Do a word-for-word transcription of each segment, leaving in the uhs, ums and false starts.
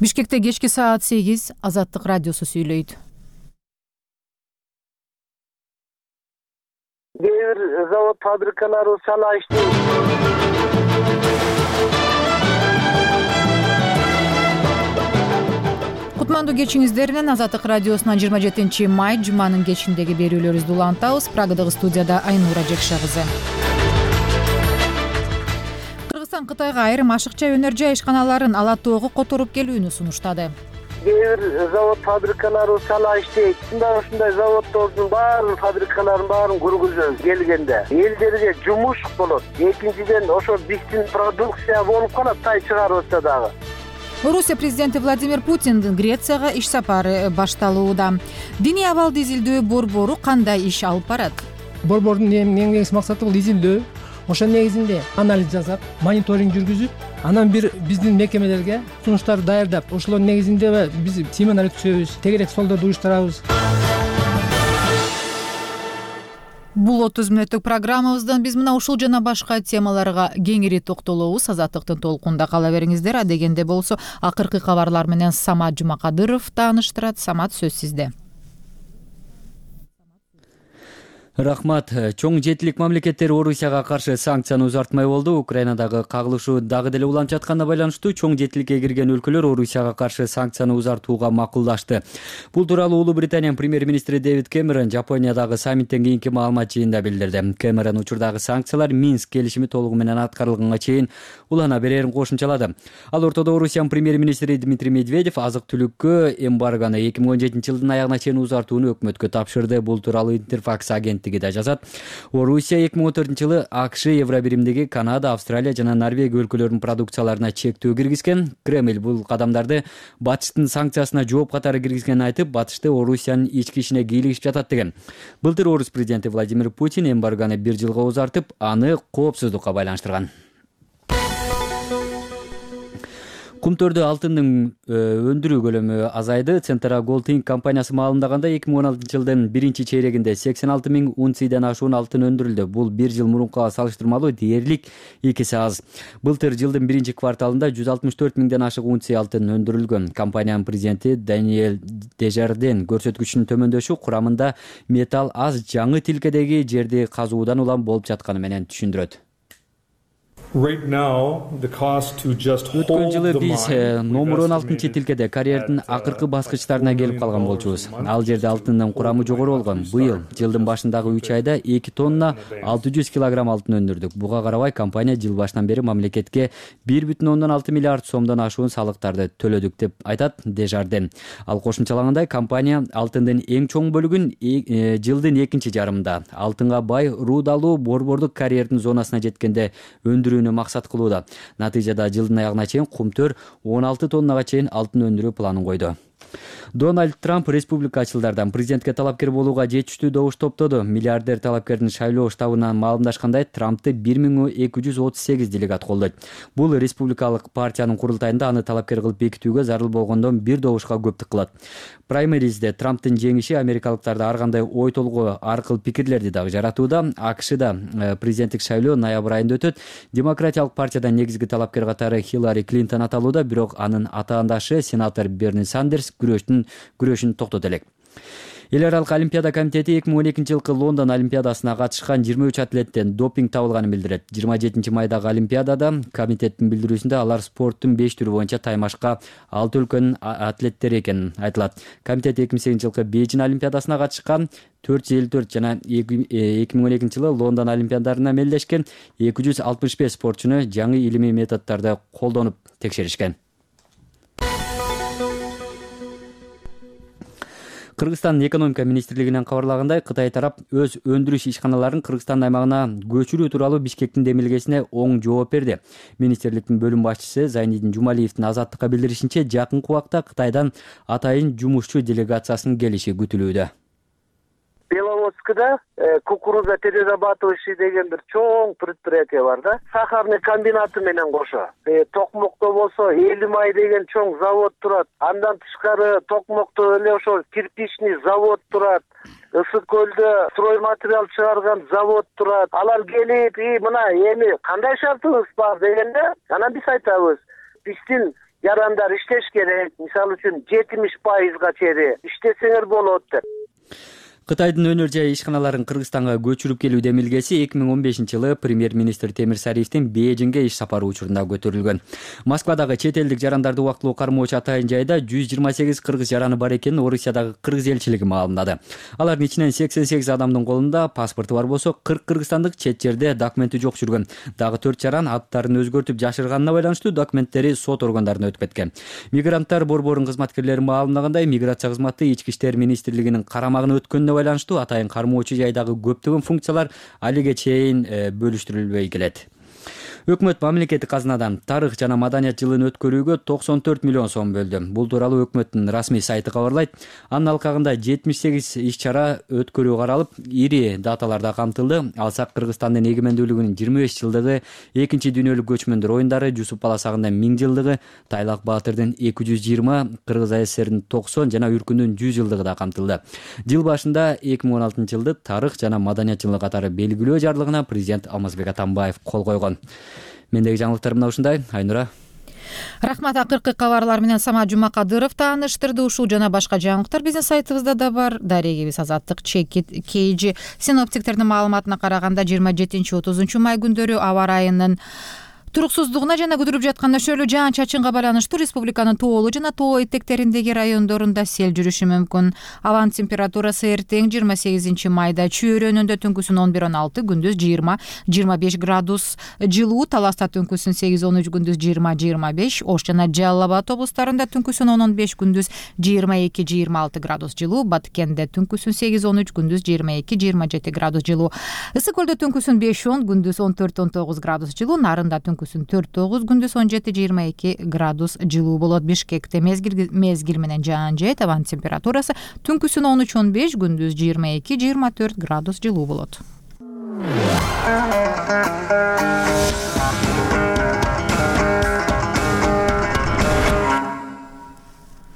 Бишкекте кечки саат сегиз Азаттык радиосу сүйлөйт. Кээ бир завод фабрикалары сала иштейт. Кутмандуу кечиңиздер менен Азаттык радиосунан жыйырма жетинчи май жуманын кечиндеги берүүлөрүбүздү улантабыз. Прагадагы студияда Айнура Жекша кызы. Кыргызстан Кытайга айрым ашыкча өнөр жай ишканаларын ала тоого которуп келүүнү сунуштады. Кээ бир завод фабрикалары сала иштейт. Ушундай ушундай заводдордун баарын, фабрикалардын баарын кургузөбүз келгенде. Элдерге жумуш болот. Экинчиден ошо биздин продукция болуп калат, тай чыгарып атса дагы. Орусия президенти Владимир Путиндин Грецияга иш сапары башталууда. Диний абалды изилдөө борбору кандай иш алып барат? Борбордун эң негизги максаты бул изилдөө. Ошо негизинде анализ жасап, мониторинг жүргүзүп, анан бир биздин мекемелерге сунуштарды даярдап, ошолордун негизинде биз семинар өткүзөбүз, тегерек столдорду уюштурабыз. Бул отуз мүнөттүк программабыздан биз мына ушул жана башка темаларга кеңири токтолобуз. Азаттыктын толкунда кала бериңиздер. Адегенде болсо акыркы кабарлар менен Самат Жумакадыров тааныштырат. Самат, сөз сизде. Рахмат. Чоң жетилик мамлекеттер Орусияга каршы санкцияны узартмай болду. Украинадагы кагылышуу дагы деле уланып жатканына байланыштуу чоң жетиликке кирген өлкөлөр Орусияга каршы санкцияны узартууга макулдашты. Бул тууралуу Улуу Британиянын премьер-министри Дэвид Кэмерон Жапониядагы саммиттен кийинки маалымат жыйынында билдирди. Кэмерон учурдагы санкциялар Минск келишими толугу менен аткарылганга чейин улана берерин кошумчалады. Ал ортодо Орусиянын премьер-министри Дмитрий Медведев азык-түлүккө эмбаргону эки миң он жетинчи жылдын аягына чейин узартууну өкмөткө тапшырды. Бул тууралуу Интерфакс агенттиги да жазат. Орусия эки миң он төртүнчү жылы АКШ, Евробиримдеги Канада, Австралия жана Норвегия өлкөлөрүнүн продукцияларына чектөө киргизген. Кремль бул кадамдарды батыштын санкциясына жооп катары киргизгенин айтып, батышты Орусиянын ички ишине кийлигишип жатат деген. Былтыр Орус президенти Владимир Путин эмбаргону бир жылга узартып, аны коопсуздукка байланыштырган. Кумтөрдө алтындын өндүрүү көлөмү азайды. Центра Gold Inc компаниясы маалымдаганда эки миң он алтынчы жылдын биринчи чейрегинде сексен алты миң унциядан ашуун алтын өндүрүлдү. Бул бир жыл мурункуга салыштырмалуу дээрлик эки эсе аз. Былтыр жылдын биринчи кварталында жүз алтымыш төрт миңден ашык унция алтын өндүрүлгөн. Компаниянын президенти Даниэль Дежарден көрсөткүчүнүн төмөндөшү курамында металл аз жаңы тилкедеги жерди казуудан улам болуп жатканы менен түшүндүрөт. Өткөн жылы биз номер он алтынчы тилкеде карьердин акыркы баскычтарына келип калган болчубуз. Ал жерде алтындын курамы жогору болгон. Быйыл жылдын башындагы үч айда эки тонна алты жүз килограмм алтын өндүрдүк. Буга карабай компания жыл башынан бери мамлекетке бир бүтүн ондон алты миллиард сомдон ашуун салыктарды төлөдүк деп айтат Дежарден. Ал кошумчалагандай, компания алтындын эң чоң бөлүгүн жылдын экинчи жарымында алтынга бай рудалуу борбордук карьердин зонасына жеткенде өндүрүү максат кылууда. Натыйжада жылдын аягына чейин Кумтөр он алты тоннага чейин алтын өндүрүү планын койду. Дональд Трамп республикачылдардан президентке талапкер болууга жетиштүү добуш топтоду. Миллиардер талапкердин шайлоо штабынан маалымдашкандай, Трампты бир миң эки жүз отуз сегиз делегат колдойт. Бул республикалык партиянын курултайында аны талапкер кылып бекитүүгө зарыл болгондон бир добушка көптүк кылат. Праймеризде Трамптын жеңиши америкалыктарды ар кандай ой толгоо, ар кыл пикирлерди дагы жаратууда. АКШда президенттик шайлоо ноябрь айында өтөт. Демократиялык партиядан негизги талапкер катары Хиллари Клинтон аталууда, бирок анын атаандашы сенатор Берни Сандерс күрөштүн күрөшүн токтото элек. Эл аралык олимпиада комитети эки миң он экинчи жылкы Лондон олимпиадасына катышкан жыйырма үч атлеттен допинг табылганын билдирет. жыйырма жетинчи майдагы олимпиадада комитеттин билдирүүсүндө алар спорттун беш түрү боюнча таймашка алты өлкөнүн атлеттери экени айтылат. Комитет эки миң сегизинчи жылкы Бейжин олимпиадасына катышкан төрт жүз элүү төрт жана эки миң он экинчи жылы Лондон олимпиадарына мелдешкен эки жүз алтымыш беш спортчуну жаңы илимий методдорду колдонуп текшеришкен. Кыргызстандын экономика министрлигинен кабарлагандай, Кытай тарап өз өндүрүш ишканаларын Кыргызстан аймагына көчүрүү тууралуу Бишкектин демилгесине оң жооп берди. Министрликтин бөлүм башчысы Зайнидин Жумалиевдин Азаттыкка билдиришинче, жакынкы убакта Кытайдан атайын жумушчу делегациясынын келиши күтүлүүдө. Беловодскода кукуруза перерабатывающий деген бир чоң предприятие бар да. Сахарный комбинаты менен кошо. Токмокто болсо Элимай деген чоң завод турат. Андан тышкары Токмокто эле ошо кирпичный завод турат. Ысык көлдө стройматериал чыгарган завод турат. Алар келип, "И мына эми кандай шартыбыз бар" дегенде, анан биз айтабыз, биздин жарандар иштеш керек. Мисалы үчүн жетимиш пайызга чейин иштесеңер болот деп. Кытайдын өнөр жай ишканаларын Кыргызстанга көчүрүп келүү демилгеси эки миң он бешинчи жылы премьер-министр Темир Сариевдин Бейжиңге иш сапары учурунда көтөрүлгөн. Москвадагы чет элдик жарандарды убактылуу кармоочу атайын жайда жүз жыйырма сегиз кыргыз жараны бар экенин Орусиядагы кыргыз элчилиги маалымдады. Алардын ичинен сексен сегиз адамдын колунда паспорту бар болсо, кырк кыргызстандык чет жерде документи жок жүргөн. Дагы төрт жаран аттарын өзгөртүп жашырганына байланыштуу документтери сот органдарына өтүп кеткен. Мигранттар борборунун кызматкерлери маалымдагандай, миграция кызматы Ички иштер министрлигинин карамагына өткөнүнө байланыштуу атайын кармоочу жайдагы көптөгөн функциялар алиге чейин бөлүштүрүлбөй келет. Өкмөт мамлекеттик казынадан тарых жана маданият жылын өткөрүүгө токсон төрт миллион сом бөлдү. Бул тууралуу өкмөттүн расмий сайты кабарлайт. Анын алкагында жетимиш сегиз иш-чара өткөрүү каралып, ири даталарда камтылды. Алсак Кыргызстандын эгемендүүлүгүнүн жыйырма беш жылдыгы, экинчи дүйнөлүк көчмөндөр оюндары, Жусуп Баласагындын миң жылдыгы, Тайлак Баатырдын эки жүз жыйырма, Кыргыз АССРдин токсон жана Үркүндүн жүз жылдыгы да камтылды. Жыл башында эки миң он алтынчы жылды тарых жана маданият жылы катары белгилөө жарлыгына президент Алмазбек Атамбаев кол койгон. Мендеги жаңылыктар мына ушундай. Айнура. Рахмат. Акыркы кабарлар менен Самат Жумакадыров тааныштырды. Ушул жана башка жаңылыктар биздин сайтыбызда да бар. Дарегибиз Азаттык Чекит Кейжи. Синоптиктердин маалыматына караганда жыйырма жетинчи отузунчу май күндөрү аба ырайынын туруксуздугуна жана күтүлүп жаткан нөшөлүү жаан-чачынга байланыштуу республиканын тоолуу жана тоо этектериндеги райондорунда сел жүрүшү мүмкүн. Абанын температурасы эртең жыйырма сегизинчи майда чөйрөнүндө түнкүсүн он бир он алты, күндүз жыйырма жыйырма беш градус жылуу, Таласта түнкүсүн сегиз он үч, күндүз жыйырма жыйырма беш, Ош жана Жалал Абад облустарында түнкүсүн он он беш, күндүз жыйырма эки жыйырма алты градус жылуу, Баткенде түнкүсүн сегиз он үч, күндүз жыйырма эки жыйырма жети градус жылуу, Ысык көлдө түнкүсүн беш он, күндүз он төрт он тогуз градус жылуу, Нарында түнкүсүн төрт тогуз, күндүз он жети жыйырма эки градус жылуу болот. Бишкекте мезгил мезгил менен жаан жайт, абанын температурасы түнкүсүн он үч он беш, күндүз жыйырма эки жыйырма төрт градус жылуу болот.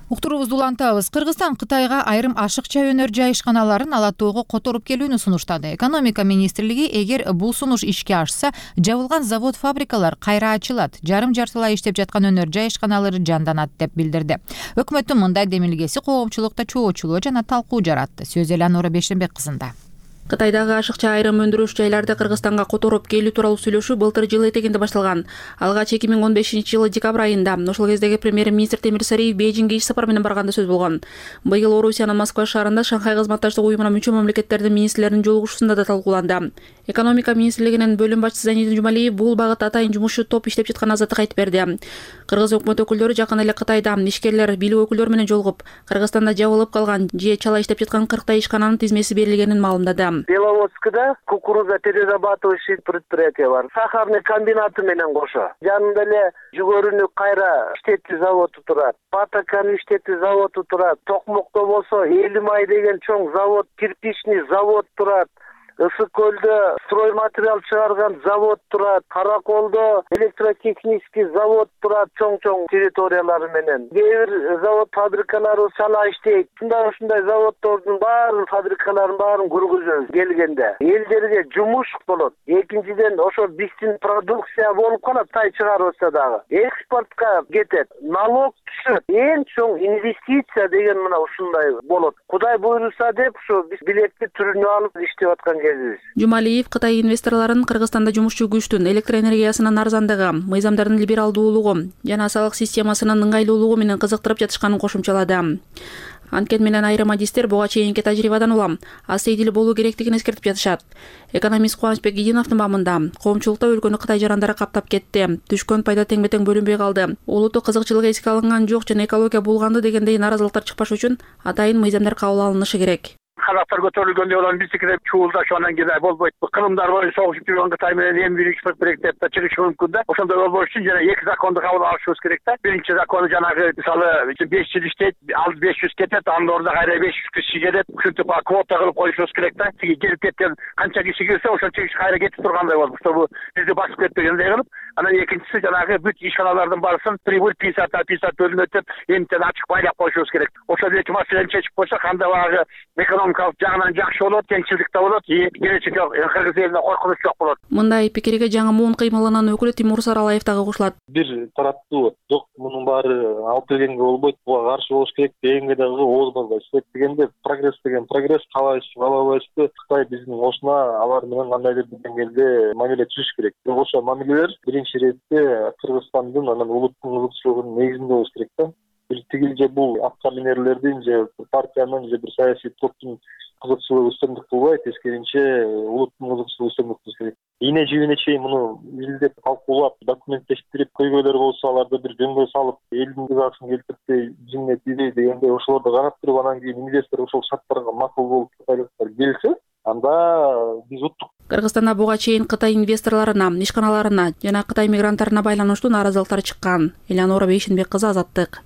Уктуруубузду улантабыз. Кыргызстан Кытайга айрым ашыкча өнөр жай ишканаларын Ала тоого которуп келүүнү сунуштады. Экономика министрлиги эгер бул сунуш ишке ашса, жабылган завод-фабрикалар кайра ачылат, жарым-жартылай иштеп жаткан өнөр жай ишканалары жанданат деп билдирди. Өкмөттүн мындай демилгеси коомчулукта чоочулоо жана талкуу жаратты. Сөз Эланора Бешенбек кызында. Кытайдагы ашыкча айрым өндүрүш жайларды Кыргызстанга которуп келүү тууралуу сүйлөшүү былтыр жыл этегинде башталган. Алгач эки миң он бешинчи жылы декабрь айында ошол кездеги премьер-министр Темир Сариев Бейжиңге иш сапар менен барганда сөз болгон. Быйыл Орусиянын Москва шаарында Шанхай кызматташтык уюмуна мүчө мамлекеттердин министрлеринин жолугушуусунда да талкууланды. Экономика министрлигинин бөлүм башчысы Занидин Жумалиев бул багытта атайын жумушчу топ иштеп жатканын азаттыкка айтып берди. Кыргыз өкмөт өкүлдөрү жакын эле Кытайда ишкерлер, бийлик өкүлдөрү менен жолугуп, Кыргызстанда жабылып калган же чала иштеп жаткан кырктай ишкананын тизмеси берилгенин маалымдады. Беловодскда кукуруза перерабатывающий предприятие бар. Сахарный комбинаты менен кошо. Жанында эле жүгөрүнү кайра иштетүү заводу турат. Патаканы иштетүү заводу турат. Токмокто болсо Элимай деген чоң завод, кирпичный завод турат. Ысык көлдө строй материал чыгарган завод турат. Караколдо электротехнический завод турат, чоң-чоң территориялары менен. Кээ бир завод фабрикалары чала иштейт. Ушундай ушундай заводдордун баарын, фабрикалардын баарын кургузөбүз келгенде. Элдерге жумуш болот. Экинчиден ошо биздин продукция болуп калат, тай чыгарылса дагы. Экспортко кетет. Налог түшөт. Эң чоң инвестиция деген мына ушундай болот. Кудай буйруса деп ушу биз билекти түрүнө алып иштеп аткан. Жумалиев Кытай инвесторлорун Кыргызстанда жумушчу күчтүн, электр энергиясынын арзандыгы, мыйзамдардын либералдуулугу жана салык системасынын ыңгайлуулугу менен кызыктырып жатышканын кошумчалады. Анткени менен айрым адистер буга чейинки тажрыйбадан улам аз сейдил болуу керектигин эскертип жатышат. Экономист Кубанычбек Гидиновдун бамында коомчулукта өлкөнү Кытай жарандары каптап кетти. Түшкөн пайда тең-бетең бөлүнбөй калды. Улуттук кызыкчылык эске алынган жок жана экология булганды дегендей наразылыктар чыкпаш үчүн атайын мыйзамдар кабыл алынышы керек. Казактар көтөрүлгөндө олар биздикиде чуулдаш анан кийин болбойт. Кырымдар боюнча согушуп жүргөн Кытай менен эми бир экспорт керек деп да чыгышы мүмкүн да. Ошондой болбош үчүн жана эки законду кабыл алышыбыз керек да. Биринчи закону жанагы мисалы беш жыл иштейт, ал беш жүз кетет, анын ордуна кайра беш жүз киши келет. Ушинтип квота кылып коюшубуз керек да. Тиги келип кеткен канча киши кирсе ошончо киши кайра кетип тургандай болуп, чтобы бизди басып кетпегендей кылып Анан экинчиси жанагы бүт ишканалардын баарысын прибыль пятьдесят на пятьдесят бөлүнөт деп эмтен ачык байлап коюшубуз керек. Ошол эки маселени чечип койсок, анда багы экономикалык жагынан жакшы болот, теңчилдик да болот, келечекке Кыргыз элине коркунуч жок болот. Мындай пикирге жаңы муун кыймылынын өкүлү Тимур Саралаев дагы кошулат. Бир тараптуу жок, мунун баары алып келгенге болбойт, буга каршы болуш керек дегенге дагы ооз барбайт. Себеп дегенде прогресс деген прогресс, каалайбызбы каалабайбызбы, Кытай биздин ошуна алар менен кандайдыр бир деңгээлде мамиле түзүш керек. Бирок ошол мамилелер биринчи иретте Кыргызстандын анан улуттун ызыкчылыгынын негизинде болуш керек да. Бир тигил же бул аткармерлердин же партиянын же бир саясий топтун кызыкчылыгы үстөмдүк кылбай, тескеринче улуттун кызыкчылыгы үстөмдүк кылыш керек. Ийне жибине чейин муну изилдеп, талкуулап, документтештирип, көйгөйлөр болсо аларды бир жөнгө салып, элдин рызасын келтирпей, жиңне тийбей дегенде ошолорду карап туруп, анан кийин инвестор ошол шарттарга макул болуп кытайлыктар келсе, анда биз уттук. Кыргызстанда буга чейин Кытай инвесторлоруна, ишканаларына жана Кытай мигранттарына байланыштуу нааразылыктар чыккан. Элеонора Бейшенбек кызы, Азаттык.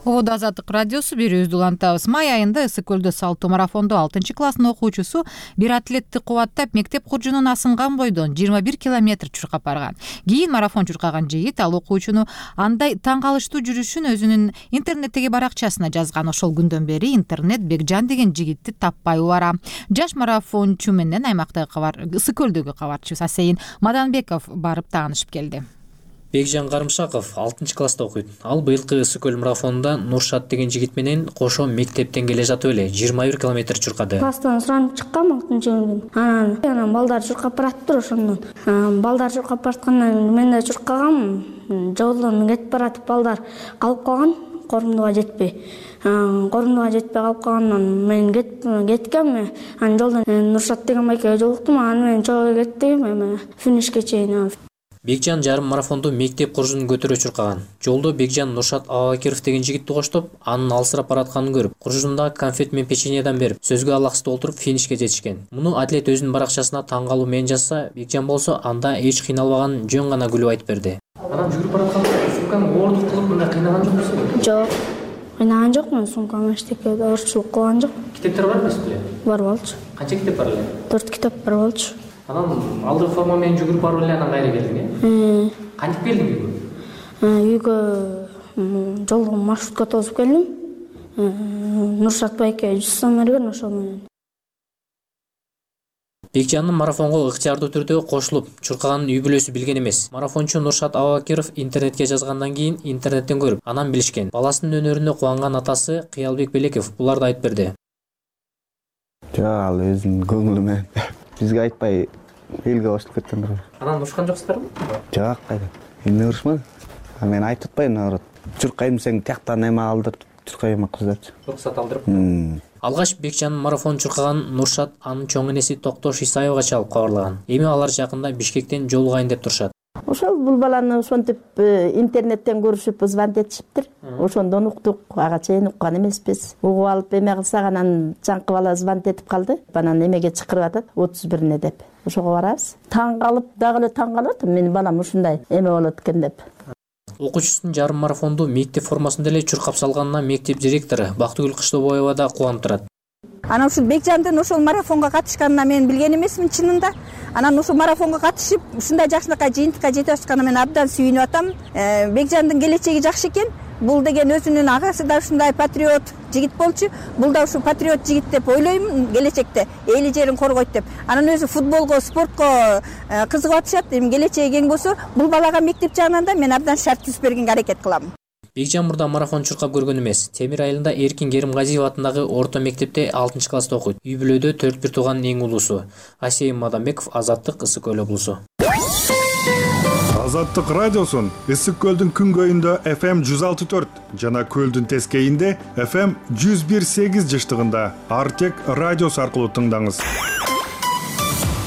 Ободо Азаттык радиосу берүүбүздү улантабыз. Май айында Ысык көлдө салттуу марафондо алтынчы класстын окуучусу бир атлетти кубаттап, мектеп куржунун асынган бойдон жыйырма бир километр чуркап барган. Кийин марафон чуркаган жигит ал окуучуну андай таң калыштуу жүрүшүн өзүнүн интернеттеги баракчасына жазган. Ошол күндөн бери интернет Бекжан деген жигитти таппай убара. Жаш марафончу менен аймактагы кабар Ысык көлдөгү кабарчыбыз Асейин Маданбеков барып таанышып келди. Бекжан Карымшаков алтынчы класста окуйт. Ал быйылкы Ысык көл марафонунда Нуршат деген жигит менен кошо мектептен келе жатып эле жыйырма бир километр чуркады. Класстан суранып чыккам алтынчы күндүн. Анан анан балдар чуркап бараттыр ошондон. Балдар чуркап бараткандан мен да чуркагам. Жолдон кетип баратып балдар калып калган, корумдуга жетпей. Корумдуга жетпей калып калгандан мен кеткем. Анан жолдон Нуршат деген байкеге жолуктум. Анан мен чогуу кеттим, финишке чейин. Бекжан жарым марафонду мектеп куржунун көтөрө чуркаган. Жолдо Бекжан Нуршат Абакиров деген жигитти коштоп, анын алсырап баратканын көрүп, куржундагы конфет менен печеньеден берип, сөзгө алаксы толтуруп финишке жетишкен. Муну атлет өзүнүн баракчасына таң калуу менен жазса, Бекжан болсо анда эч кыйналбаган, жөн гана күлүп айтып берди. Анан жүгүрүп баратканда сумканы оордук кылып мындай кыйнаган жоксуңбу? Жок. Кыйнаган жокмун, сумкам эчтеке оорчулук кылган жок. Китептер бар эмеспи эле? Бар болчу. Канча китеп бар эле? төрт китеп бар болчу. Анан алдыгы форма менен жүгүрүп барып эле анан кайра келдиң, э? Кантип келдиң үйгө? Үйгө жолдо маршрутка тосуп келдим. Нуршат байке жүз сом берген, ошол менен. Бекжандын марафонго ыктыярдуу түрдө кошулуп чуркаганын үй бүлөсү билген эмес. Марафончу Нуршат Абакиров интернетке жазгандан кийин интернеттен көрүп, анан билишкен. Баласынын өнөрүнө кубанган атасы Кыялбек Белеков буларды айтып берди. Жок, ал өзүнүн көңүлү менен бизге айтпай элге кошулуп кеткен. Анан урушкан жоксуздарбы? Жок, кайда. Эмне урушмады? А мен айтып атпайм, наоборот. Чуркайм десең тияктан эме алдырып, чуркайм кыздырчы. Руксат алдырып. Алгач Бекжандын марафон чуркаган Нуршат анын чоң энеси Токтош Исаевга чалып кабарлаган. Эми алар жакында Бишкектен жолугайын деп турушат. Ошол бул баланы ошентип интернеттен көрүшүп звонок этишиптир. Ошондон уктук, ага чейин уккан эмеспиз. Угуп алып эме кылсак анан жаңкы бала звонок этип калды. Анан эмеге чакырып атат, отуз бирине деп. Ошого барабыз. Таң калып, дагы эле таң калып атам, менин балам ушундай эме болот экен деп. Окуучусунун жарым марафонду мектеп формасында эле чуркап салганына мектеп директору Бактыгүл Кыштообоева да кубанып турат. Анан ушул Бекжандын ошол марафонго катышканына мен билген эмесмин чынында. Анан ушул марафонго катышып, ушундай жакшылыкка, жыйынтыкка жетип атканына мен абдан сүйүнүп атам. Бекжандын келечеги жакшы экен. Бул деген өзүнүн агасы да ушундай патриот жигит болчу. Бул да ушул патриот жигит деп ойлойм келечекте. Эли жерин коргойт деп. Анан өзү футболго, спортко кызыгып атышат. Эми келечеги кең болсо, бул балага мектеп жагынан да мен абдан шарт түзүп бергенге аракет кылам. Бекжан мурда марафон чуркап көргөн эмес. Темир айылында Эркин Керимгазиев атындагы орто мектепте алтынчы класста окуйт. Үй бүлөдө төрт бир тууганын эң улуусу. Асейин Маданбеков, Азаттык, Ысык көл облусу. Азаттык радиосун Ысык көлдүн күнгөйүндө эф эм жүз алты төрт жана көлдүн тескейинде эф эм жүз бир сегиз жыштыгында Артек радиосу аркылуу тыңдаңыз.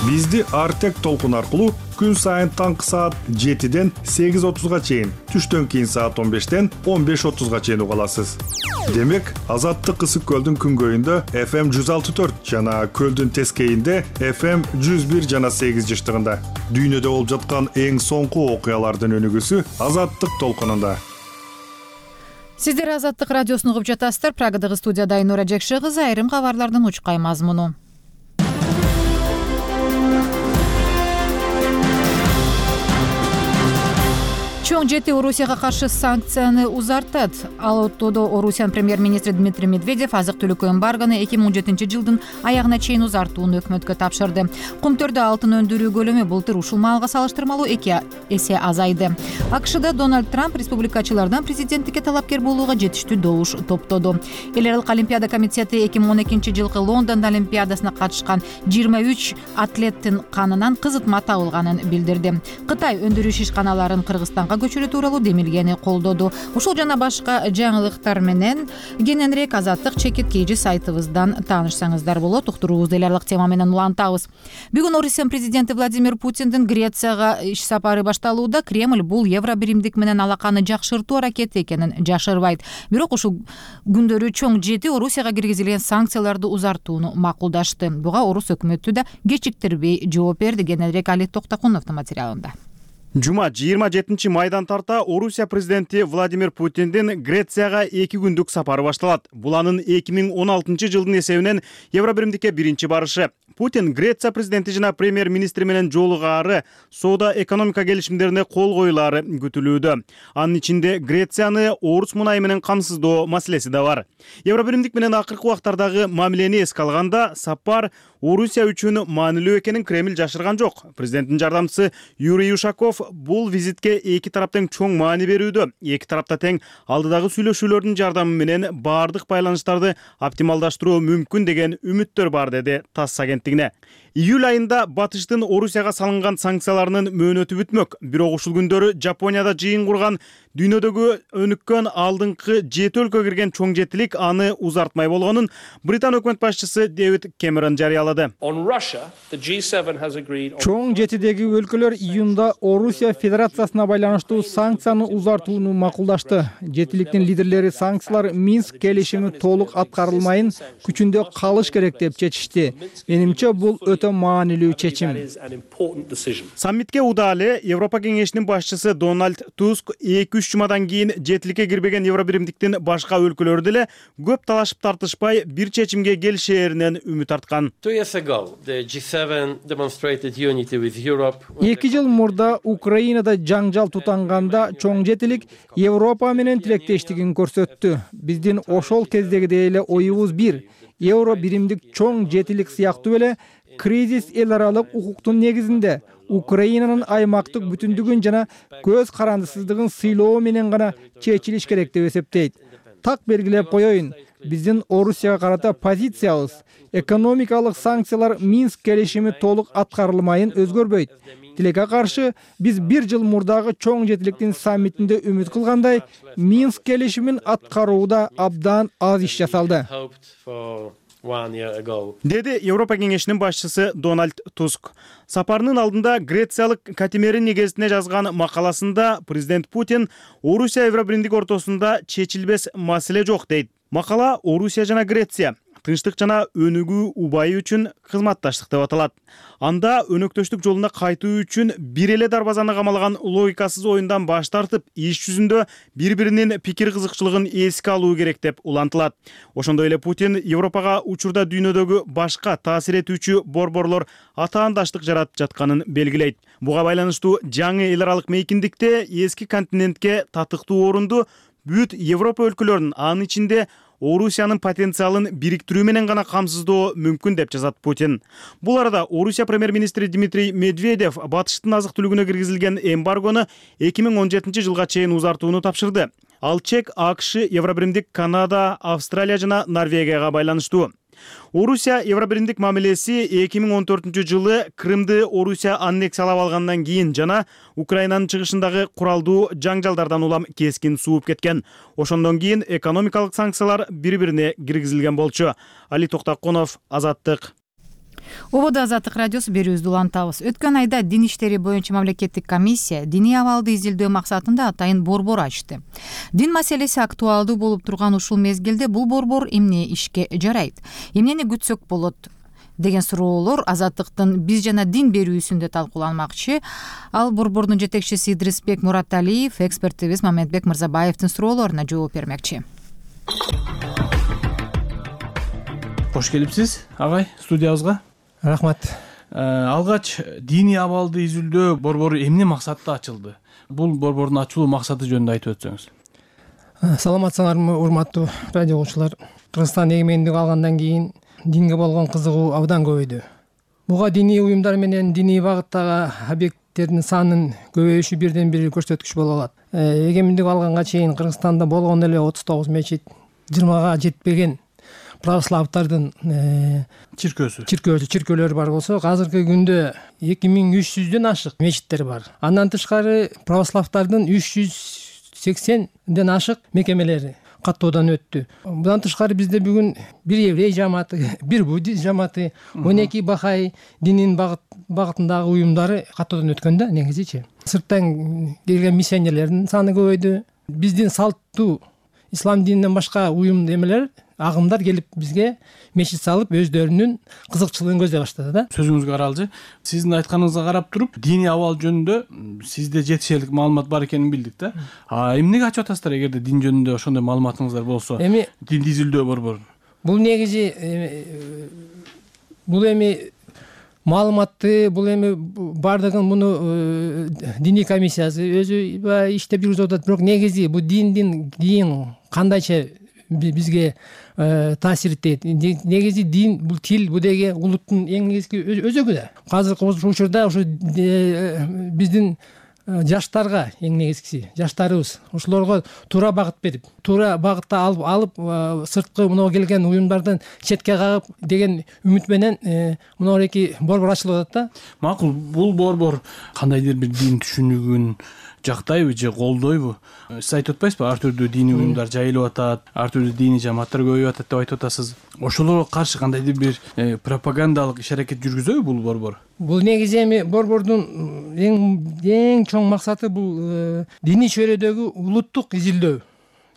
Бизди Артек толкун аркылуу күн сайын таңкы саат жетиден сегиз отузга чейин, түштөн кийин саат он бештен он беш отузга чейин уга аласыз. Демек, Азаттык Ысык көлдүн күнгөйүндө эф эм жүз алты төрт жана көлдүн тескейинде эф эм жүз бир жана сегиз жыштыгында. Дүйнөдө болуп жаткан эң соңку окуялардын өнүгүүсү Азаттык толкунунда. Сиздер Азаттык радиосун угуп жатасыздар. Прагадагы студияда Айнура Жекше кызы. Айрым кабарлардын учкай мазмуну. Чоң жети Орусияга каршы санкцияны узартат. Ал оттодо Орусиянын премьер-министри Дмитрий Медведев азык-түлүк эмбаргону эки миң он жетинчи жылдын аягына чейин узартууну өкмөткө тапшырды. Кумтөрдө алтын өндүрүү көлөмү былтыр ушул маалга салыштырмалуу эки эсе азайды. АКШда Дональд Трамп республикачылардан президенттикке талапкер болууга жетиштүү добуш топтоду. Эл аралык олимпиада комитети эки миң он экинчи жылкы Лондон олимпиадасына катышкан жыйырма үч атлеттин канынан кызытма табылганын билдирди. Кытай өндүрүү ишканаларын Кыргызстанга көчүрүү тууралуу демилгени колдоду. Ушул жана башка жаңылыктар менен кененирээк Азаттык чекит кейжи сайтыбыздан таанышсаңыздар болот. Уктуруубузду эл аралык тема менен улантабыз. Бүгүн Орусиянын президенти Владимир Путиндин Грецияга иш сапары башталууда. Кремль бул евро биримдик менен алаканы жакшыртуу аракети экенин жашырбайт. Бирок ушул күндөрү чоң жети Орусияга киргизилген санкцияларды узартууну макулдашты. Буга орус өкмөтү да кечиктирбей жооп берди. Кененирээк Али Токтакуновдун материалында. Жума жыйырма жетинчи майдан тарта Орусия президенти Владимир Путиндин Грецияга эки күндүк сапары башталат. Бул анын эки миң он алтынчы жылдын эсебинен евро биримдикке биринчи барышы. Путин Греция президенти жана премьер-министри менен жолугаары, соода экономика келишимдерине кол коюлаары күтүлүүдө. Анын ичинде Грецияны орус мунайы менен камсыздоо маселеси да бар. Евро биримдик менен акыркы убактардагы мамилени эске алганда, сапар Орусия үчүн маанилүү экенин Кремль жашырган жок. Президенттин жардамчысы Юрий Ушаков бул визитке эки тараптын чоң маани берүүдө. Эки тарапта тең алдыдагы сүйлөшүүлөрдүн жардамы менен баардык байланыштарды оптималдаштыруу мүмкүн деген үмүттөр бар, деди ТАСС агенттигине. Июль айында батыштын Орусияга салынган санкцияларынын мөөнөтү бүтмөк. Бирок ушул күндөрү Жапонияда жыйын курган дүйнөдөгү өнүккөн алдыңкы жети өлкөгө кирген чоң жетилик аны узартмай болгонун Британ өкмөт башчысы Дэвид Кэмерон жарыялады. Чоң жетидеги өлкөлөр июнда Орусия Федерациясына байланыштуу санкцияны узартууну макулдашты. Жетиликтин лидерлери санкциялар Минск келишими толук аткарылмайын күчүндө калыш керек деп чечишти. Менимче бул өтө маанилүү чечим. Саммитке удаа эле Европа кеңешинин башчысы Дональд Туск эки үч жумадан кийин жетиликке кирбеген евро биримдиктин башка өлкөлөрү деле көп талашып тартышпай бир чечимге келишээринен үмүт арткан. эки жыл мурда Украинада жаңжал тутанганда чоң жетилик Европа менен тилектештигин көрсөттү. Биздин ошол кездегидей эле оюбуз бир. Евро биримдик чоң жетилик сыяктуу эле кризис эл аралык укуктун негизинде Украинанын аймактык бүтүндүгүн жана көз карандысыздыгын сыйлоо менен гана чечилиш керек деп эсептейт. Так белгилеп коеюн, биздин Орусияга карата позициябыз экономикалык санкциялар Минск келишими толук аткарылмайын өзгөрбөйт. Тилекке каршы биз бир жыл мурдагы чоң жетиликтин саммитинде үмүт кылгандай, Минск келишимин аткарууда абдан аз иш жасалды, деди Европа кеңешинин башчысы Дональд Туск. Сапарынын алдында грециялык Катимерини гезитине жазган макаласында президент Путин Орусия евро биримдик ортосунда чечилбес маселе жок дейт. Макала Орусия жана Греция тынчтык жана өнүгүү убайы үчүн кызматташтык деп аталат. Анда өнөктөштүк жолуна кайтуу үчүн бир эле дарбазаны камалаган логикасыз оюндан баш тартып, иш жүзүндө бири-биринин пикир кызыкчылыгын эске алуу керек деп улантылат. Ошондой эле Путин Европага учурда дүйнөдөгү башка таасир этүүчү борборлор атаандаштык жаратып жатканын белгилейт. Буга байланыштуу жаңы эл аралык мейкиндикте эски континентке татыктуу орунду бүт Европа өлкөлөрүнүн, анын ичинде Орусиянын потенциалын бириктирүү менен гана камсыздоо мүмкүн деп жазат Путин. Бул арада Орусия премьер-министри Дмитрий Медведев батыштын азык-түлүгүнө киргизилген эмбаргону эки миң он жетинчи жылга чейин узартууну тапшырды. Ал чек АКШ, евро биримдик Канада, Австралия жана Норвегияга байланыштуу. Орусия евро биримдик мамилеси эки миң он төртүнчү жылы Крымды Орусия аннексиялап алгандан кийин жана Украинанын чыгышындагы куралдуу жаңжалдардан улам кескин сууп кеткен. Ошондон кийин экономикалык санкциялар бири-бирине киргизилген болчу. Али Токтакунов, Азаттык. Ободо Азаттык радиосу берүүбүздү улантабыз. Өткөн айда дин иштери боюнча мамлекеттик комиссия диний абалды изилдөө максатында атайын борбор ачты. Дин маселеси актуалдуу болуп турган ушул мезгилде бул борбор эмне ишке жарайт? Эмнени күтсөк болот? деген суроолор Азаттыктын биз жана дин берүүсүндө талкууланмакчы. Ал Борбордун жетекчиси Идрисбек Мураталиев экспертибиз Мамедбек Мырзабаевдин суроолоруна жооп бермекчи. Кош келипсиз, агай, студиябызга. Рахмат. Алгач диний абалды изилдөө борбору эмне максатта ачылды? Бул борбордун ачылуу максаты жөнүндө айтып өтсөңүз. Саламатсыңарбы, урматтуу радио угуучулар. Кыргызстан эгемендик алгандан кийин динге болгон кызыгуу абдан көбөйдү. Буга диний уюмдар менен диний багыттагы объекттердин санынын көбөйүшү бирден бир көрсөткүч боло алат. Эгемендик алганга чейин Кыргызстанда болгон эле отуз тогуз мечит, жыйырмага жетпеген православдардын чиркөөсү чиркөөсү чиркөөлөр бар болсо, азыркы күндө эки миң үч жүздөн ашык мечиттер бар. Андан тышкары православдардын үч жүз сексенден ашык мекемелери каттоодан өттү. Будан тышкары бизде бүгүн бир еврей жамааты, бир буддист жамааты, он эки бахай динин багытындагы уюмдары каттоодан өткөн да негизичи. Сырттан келген миссионерлердин саны көбөйдү. Биздин салттуу ислам дининен башка уюм эмелер, агымдар келип бизге мечит салып, өздөрүнүн кызыкчылыгын көздөй баштады да. Сөзүңүзгө аралжы. Сиздин айтканыңызга карап туруп, диний абал жөнүндө сизде жетишерлик маалымат бар экенин билдик да. А эмнеге ачып атасыздар эгерде дин жөнүндө ошондой маалыматыңыздар болсо? Эми дин изилдөө борбору. Бул негизи бул эми маалыматты, бул эми бардыгын муну диний комиссиясы өзү иштеп жүргүзүп атат, бирок негизи бул диндин дин кандайча бизге таасиреттейт. Негизи дин бул тил, бул деги улуттун эң негизги өзөгү да. Азыркы учурда ушу биздин жаштарга эң негизгиси, жаштарыбыз ошолорго туура багыт берип, туура багытта алып алып сырткы мына келген уюмдардан четке кагып деген үмүт менен мына эки борбор ачылып атат да. Макул, бул борбор кандайдыр бир дин түшүнүгүн жактайбы же колдойбу? Сиз айтып атпайсызбы, ар түрдүү диний уюмдар жайылып атат, ар түрдүү диний жамааттар көбөйүп атат деп айтып атасыз. Ошолорго каршы кандайдыр бир пропагандалык иш-аракет жүргүзөбү бул борбор? Бул негизи эми борбордун эң эң чоң максаты бул диний чөйрөдөгү улуттук изилдөө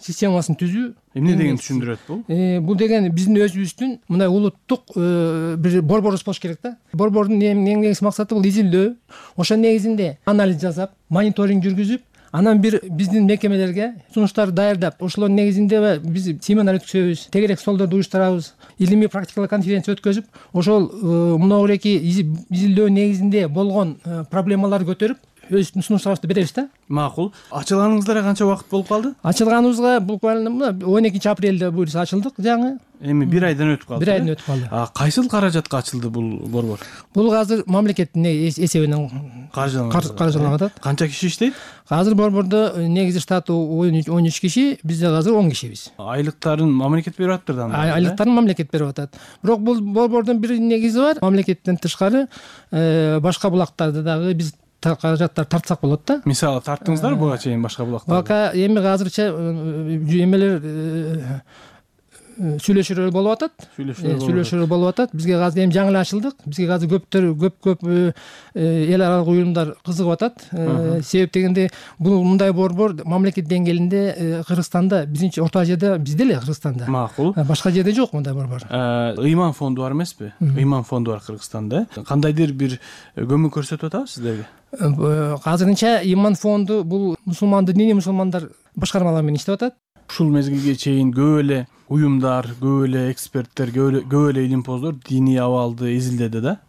системасын түзүү. Эмне деген түшүндүрөт бул? Бул деген биздин өзүбүздүн мындай улуттук бир борборубуз болуш керек да. Борбордун эң негизги максаты бул изилдөө. Ошо негизинде анализ жасап, мониторинг жүргүзүп, анан бир биздин мекемелерге сунуштар даярдап, ошолордун негизинде биз семинар өткөзөбүз, тегерек столдорду уюштурабыз, илимий практикалык конференция өткөзүп, ошол мына эки изилдөө негизинде болгон проблемаларды көтөрүп, өз сунуштарыбызды беребиз да. Макул. Ачылганыңыздарга канча убакыт болуп калды? Ачылганыбызга буквально он экинчи апрелде буюрса ачылдык жаңы. Эми бир айдан өтүп калды. Бир айдан өтүп калды. А кайсыл каражатка ачылды бул борбор? Бул азыр мамлекеттин эсебинен каржыланып атат. Канча киши иштейт? Азыр борбордо негизи штаты он үч киши, бизде азыр он кишибиз. Айлыктарын мамлекет берип атат да? Айлыктарын мамлекет берип атат. Бирок бул борбордун бир негизи бар. Мамлекеттен тышкары башка булактарды дагы биз каражаттар тартсак болот да. Мисалы тарттыңыздар буга чейин башка булактар? Бака эми азырча эмелер сүйлөшүүлөр болуп атат. Сүйлөшүүлөр болуп атат. Бизге азыр эми жаңы эле ачылдык. Бизге азыр көптөр көп-көп эл аралык уюмдар кызыгып атат. Себеп дегенде бул мындай борбор мамлекет деңгээлинде Кыргызстанда, биздинчи Орто Азияда бизде эле Кыргызстанда. Макул. Башка жерде жок мындай борбор. Ыйман фонду бар эмеспи? Ыйман фонду бар Кыргызстанда. Кандайдыр бир көмөк көрсөтүп атабы сиздерге? Азырынча Ыйман фонду бул мусулмандар, диний мусулмандар башкармалары менен иштеп атат. Ушул мезгилге чейин көп эле уюмдар, көп эле эксперттер, көп эле илимпоздор диний абалды изилдеди да.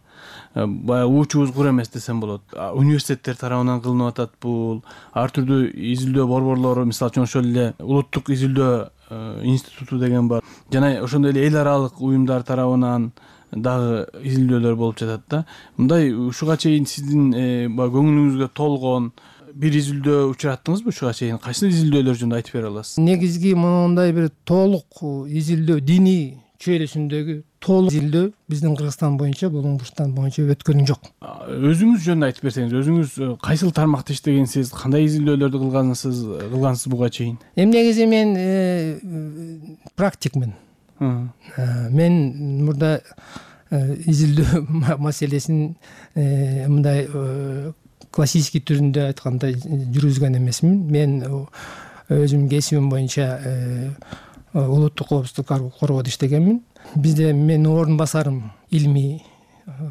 Баягы уучубуз кур эмес десем болот. Университеттер тарабынан кылынып атат бул. Ар түрдүү изилдөө борборлору, мисалы үчүн ошол эле улуттук изилдөө институту деген бар. Жана ошондой эле эл аралык уюмдар тарабынан дагы изилдөөлөр болуп жатат да. Мындай ушуга чейин сиздин көңүлүңүзгө толгон бир изилдөө учураттыңызбы ушуга чейин? Кайсы изилдөөлөр жөнүндө айтып бере аласыз? Негизги мындай бир толук изилдөө, диний чөйрөсүндөгү толук изилдөө биздин Кыргызстан боюнча, Болгондуштан боюнча өткөн жок. Өзүңүз жөнүндө айтып берсеңиз, өзүңүз кайсыл тармакта иштегенсиз, кандай изилдөөлөрдү кылгансыз, кылгансыз буга чейин? Эми негизи мен практикмин. Мен мурда изилдөө маселесин мындай классический түрүндө айтканда жүргүзгөн эмесмин. Мен өзүмдүн кесибим боюнча улуттук коопсуздук коргоодо иштегенмин. Бизде менин орун басарым илимий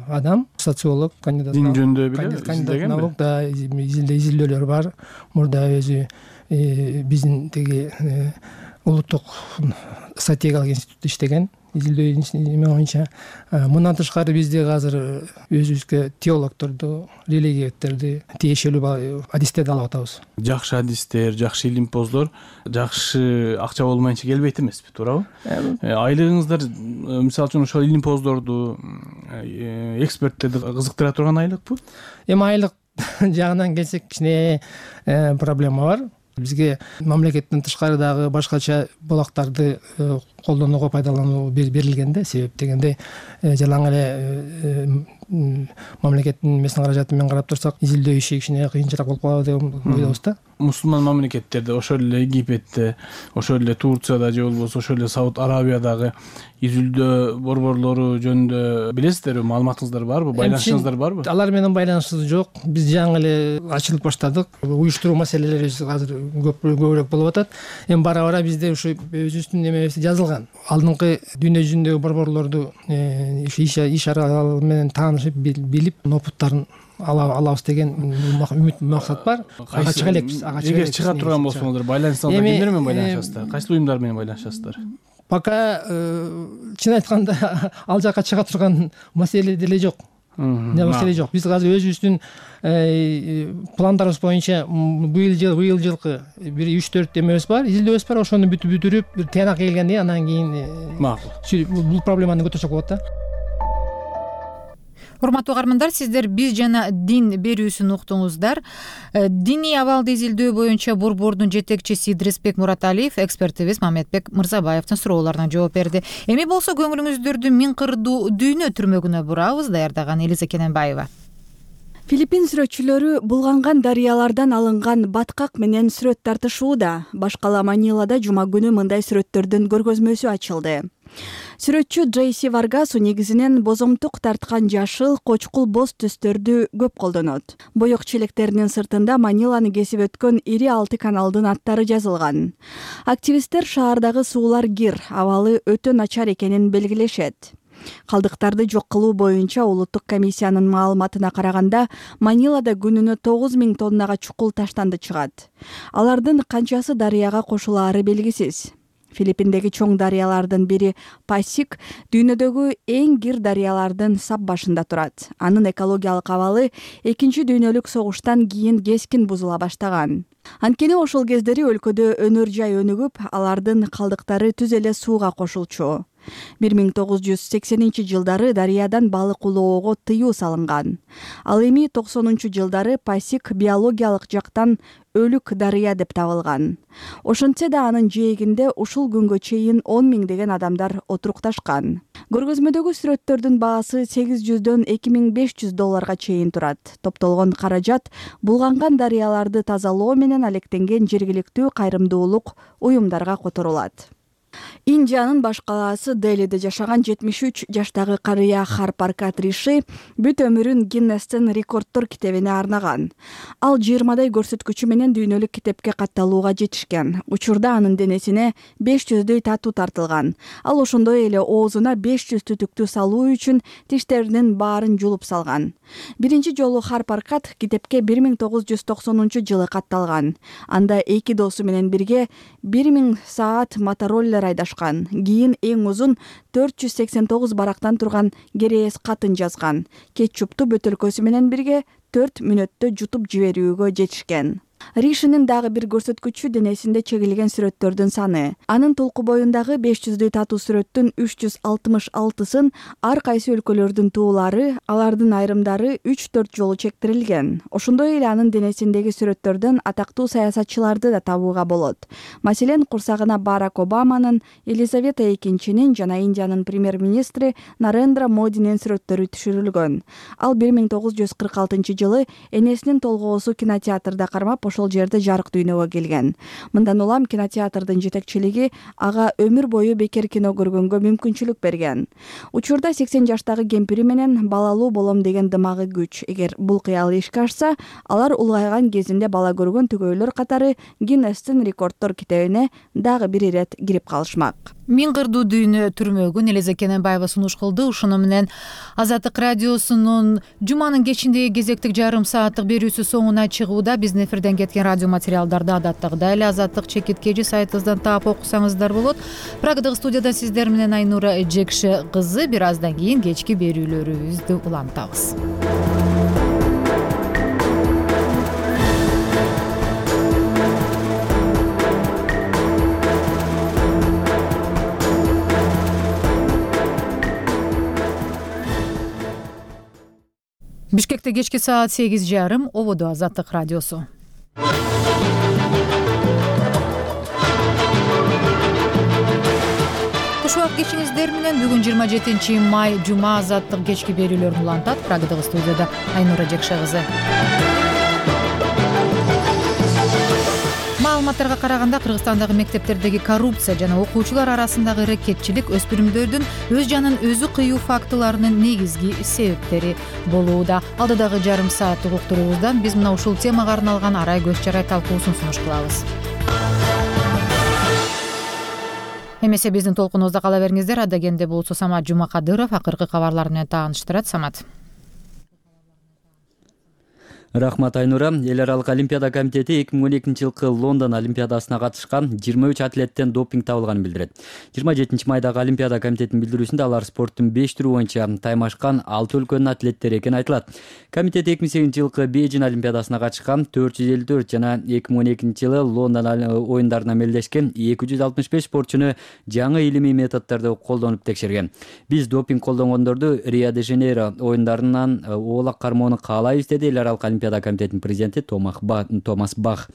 адам, социолог, кандидат. Дин жөнүндө беле кандидат наук да изилдөөлөр бар. Мурда өзү биздин тиги улуттук стратегиялык институтта иштеген. Изилдөө эме боюнча. Мындан тышкары бизде азыр өзүбүзгө теологдорду, религияттерди тиешелүү адистерди алып атабыз. Жакшы адистер, жакшы илимпоздор жакшы акча болмайынча келбейт эмеспи, туурабы? Айлыгыңыздар мисалы үчүн ошол илимпоздорду, эксперттерди кызыктыра турган айлыкпы? Эми айлык жагынан келсек кичине проблема бар. Бизге мамлекеттен тышкары дагы башкача булактарды колдонууга пайдалануу берилген да. Себеп дегенде жалаң эле мамлекеттин эмесин каражаты менен карап турсак, изилдөө иши кичине кыйынчыраак болуп калат деп ойлойбуз да. Мусулман мамлекеттерде, ошол эле Египетте, ошол эле Турцияда же болбосо ошол эле Сауд Арабиядагы изилдөө борборлору жөнүндө билесиздерби? Маалыматыңыздар барбы? Байланышыңыздар барбы? Алар менен байланышыбыз жок. Биз жаңы эле ачылып баштадык. Уюштуруу маселелери азыр көп көбүрөөк болуп атат. Эми бара-бара бизде ушу өзүбүздүн эмебиз жазылган. Алдыңкы дүйнө жүзүндөгү борборлорду иш аралары менен таанышып, билип, опыттарын алабыз деген үмүт, максат бар. Ага чыга элекпиз. Эгер чыга турган болсоңуздар, байланышсаңыздар кимдер менен байланышасыздар? Кайсы уюмдар менен байланышасыздар? Пока чын айтканда ал жака чыга турган маселе деле жок. Не маселе жок. Биз азыр өзүбүздүн пландарыбыз боюнча быйыл жыл, быйыл жылкы бир үч төрт эмебиз бар, изилдөөбүз бар. Ошону бүтүп бүтүрүп, бир тыянак келгенде анан кийин макул бул проблеманы көтөрсөк болот да. Урматтуу угармандар, сиздер биз жана дин берүүсүн уктуңуздар. Диний абалды изилдөө боюнча борбордун жетекчиси Идрисбек Мураталиев экспертибиз Мамедбек Мырзабаевдин суроолоруна жооп берди. Эми болсо көңүлүңүздөрдү миң кырдуу дүйнө түрмөгүнө бурабыз. Даярдаган Элиза Кененбаева. Филиппин сүрөтчүлөрү булганган дарыялардан алынган баткак менен сүрөт тартышууда. Башкала Манилада жума күнү мындай сүрөттөрдүн көргөзмөсү ачылды. Сүрөтчү Джейси Варгасу негизинен бозомтук тарткан жашыл, кочкул боз түстөрдү көп колдонот. Боек челектеринин сыртында Маниланы кесип өткөн ири алты каналдын аттары жазылган. Активисттер шаардагы суулар кир, абалы өтө начар экенин белгилешет. Калдыктарды жок кылуу боюнча улуттук комиссиянын маалыматына караганда, Манилада күнүнө тогуз миң тоннага чукул таштанды чыгат. Алардын канчасы дарыяга кошулаары белгисиз. Филиппиндеги чоң дарыялардын бири Пасик дүйнөдөгү эң кир дарыялардын сап башында турат. Анын экологиялык абалы экинчи дүйнөлүк согуштан кийин кескин бузула баштаган. Анткени ошол кездери өлкөдө өнөр жай өнүгүп, алардын калдыктары түз эле сууга кошулчу. бир миң тогуз жүз сексенинчи жылдары дарыядан балык улоого тыюу салынган. Ал эми токсонунчу жылдары Пасик биологиялык жактан өлүк дарыя деп табылган. Ошентсе да анын жээгинде ушул күнгө чейин он миңдеген адамдар отурукташкан. Көргөзмөдөгү сүрөттөрдүн баасы сегиз жүздөн эки миң беш жүз долларга чейин турат. Топтолгон каражат булганган дарыяларды тазалоо менен алектенген жергиликтүү кайрымдуулук уюмдарга которулат. Индиянын баш калаасы Делиде жашаган жетимиш үч жаштагы карыя Харпаркат Риши бүт өмүрүн Гиннестин рекорддор китебине арнаган. Ал жыйырмадай көрсөткүчү менен дүйнөлүк китепке катталууга жетишкен. Учурда анын денесине беш жүздөй татуу тартылган. Ал ошондой эле оозуна беш жүз түтүктү салуу үчүн тиштеринин баарын жулуп салган. Биринчи жолу Харпаркат китепке бир миң тогуз жүз токсонунчу жылы катталган. Анда эки досу менен бирге бир миң саат мотороллер айдашкан. Кийин эң узун төрт жүз сексен тогуз барактан турган керээс катын жазган. Кетчупту бөтөлкөсү менен бирге төрт мүнөттө жутуп жиберүүгө жетишкен. Ришинин дагы бир көрсөткүчү денесинде чегилген сүрөттөрдүн саны. Анын толку боюндагы беш жүздөй татуу сүрөттүн үч жүз алтымыш алтысын ар кайсы өлкөлөрдүн туулары, алардын айрымдары үч төрт жолу чектирилген. Ошондой эле анын денесиндеги сүрөттөрдөн атактуу саясатчыларды да табууга болот. Маселен, курсагына Барак Обаманын, Елизавета экинчинин жана Индиянын премьер-министри Нарендра Модинин сүрөттөрү түшүрүлгөн. Ал бир миң тогуз жүз кырк алтынчы жылы энесинин толгоосу кинотеатрда кармап ошол жерде жарык дүйнөгө келген. Мындан улам кинотеатрдын жетекчилиги ага өмүр бою бекер кино көргөнгө мүмкүнчүлүк берген. Учурда сексен жаштагы кемпири менен балалуу болом деген дымагы күч. Эгер бул кыял ишке ашса, алар улгайган кезинде бала көргөн түгөйлөр катары Гиннестин рекорддор китебине дагы бир ирет кирип калышмак. Миң кырдуу дүйнө түрмөгүн Элиза Кененбаева сунуш кылды. Ушуну менен Азаттык радиосунун жуманын кечиндеги кезектик жарым сааттык берүүсү соңуна чыгууда. Биздин эфирден кеткен радио материалдарды адаттагыдай эле Азаттык чекит кей жи сайтыбыздан таап окусаңыздар болот. Прагадагы студияда сиздер менен Айнура Жекши кызы. Бир аздан кийин кечки берүүлөрүбүздү улантабыз. Бишкекте кечки саат сегиз жарым, ободо Азаттык радиосу. Куш убак кечиңиздер менен бүгүн жыйырма жетинчи май жума Азаттык кечки берүүлөрүн улантат. Прагадагы студияда Айнура Жекши кызы. Маалыматтарга караганда Кыргызстандагы мектептердеги коррупция жана окуучулар арасындагы ирекетчилик өспүрүмдөрдүн өз жанын өзү кыюу фактыларынын негизги себептери болууда. Алдыдагы жарым сааттык уктуруубуздан биз мына ушул темага арналган арай көз жарай талкуусун сунуш кылабыз. Эмесе биздин толкунубузда кала бериңиздер. Адегенде болсо Самат Жумакадыров акыркы кабарлар менен тааныштырат. Самат. Рахмат, Айнура. Эл аралык Олимпиада комитети эки миң он экинчи жылкы Лондон Олимпиадасына катышкан жыйырма үч атлеттен допинг табылганын билдирет. жыйырма жетинчи майдагы Олимпиада комитетинин билдирүүсүндө алар спорттун беш түрү боюнча таймашкан алты өлкөнүн атлеттери экени айтылат. Комитет эки миң сегизинчи жылкы Бейжин Олимпиадасына катышкан төрт жүз элүү төрт жана эки миң он экинчи жылы Лондон оюндарына мелдешкен эки жүз алтымыш беш спортчуну жаңы илимий методдорду колдонуп текшерген. Биз допинг колдонгондорду Рио-де-Жанейро оюндарынан оолак кармоону каалайбыз, деди эл аралык Олимпиада комитетинин президенти Томас Бах.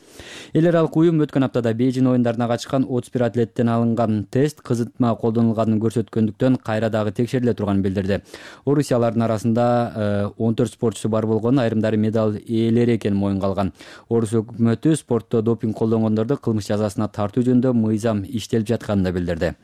Эл аралык уюм өткөн аптада Бейжин оюндарына катышкан отуз бир атлеттен алынган тест кызытма колдонулганын көрсөткөндүктөн кайра дагы текшериле турганын билдирди. Орусиялардын арасында он төрт спортчусу бар болгон, айрымдары медаль ээлери экенин моюнга алган. Орус өкмөтү спортто допинг колдонгондорду кылмыш жазасына тартуу жөнүндө мыйзам иштелип жатканын да билдирди.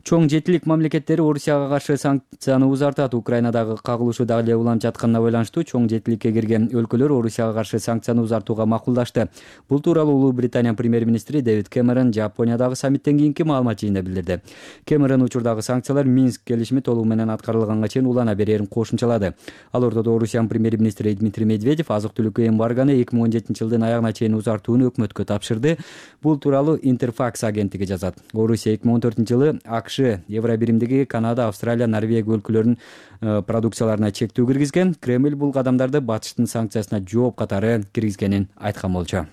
Чоң жетилик мамлекеттери Орусияга каршы санкцияны узартат. Украинадагы кагылышуу дагы эле уланып жатканына байланыштуу чоң жетиликке кирген өлкөлөр Орусияга каршы санкцияны узартууга макулдашты. Бул тууралуу Улуу Британия премьер-министри Дэвид Кэмерон Жапониядагы саммиттен кийинки маалымат жыйынында билдирди. Кэмерон учурдагы санкциялар Минск келишими толугу менен аткарылганга чейин улана берерин кошумчалады. Ал ортодо Орусиянын премьер-министри Дмитрий Медведев азык-түлүккө эмбарганы эки миң он жетинчи жылдын аягына чейин узартууну өкмөткө тапшырды. Бул тууралуу Интерфакс агенттиги жазат. Орусия эки миң он төртүнчү жылы АКШ, Евробиримдиги, Канада, Австралия, Норвегия өлкөлөрүнүн продукцияларына чектөө киргизген. Кремль бул кадамдарды батыштын санкциясына жооп катары киргизгенин айткан болчу.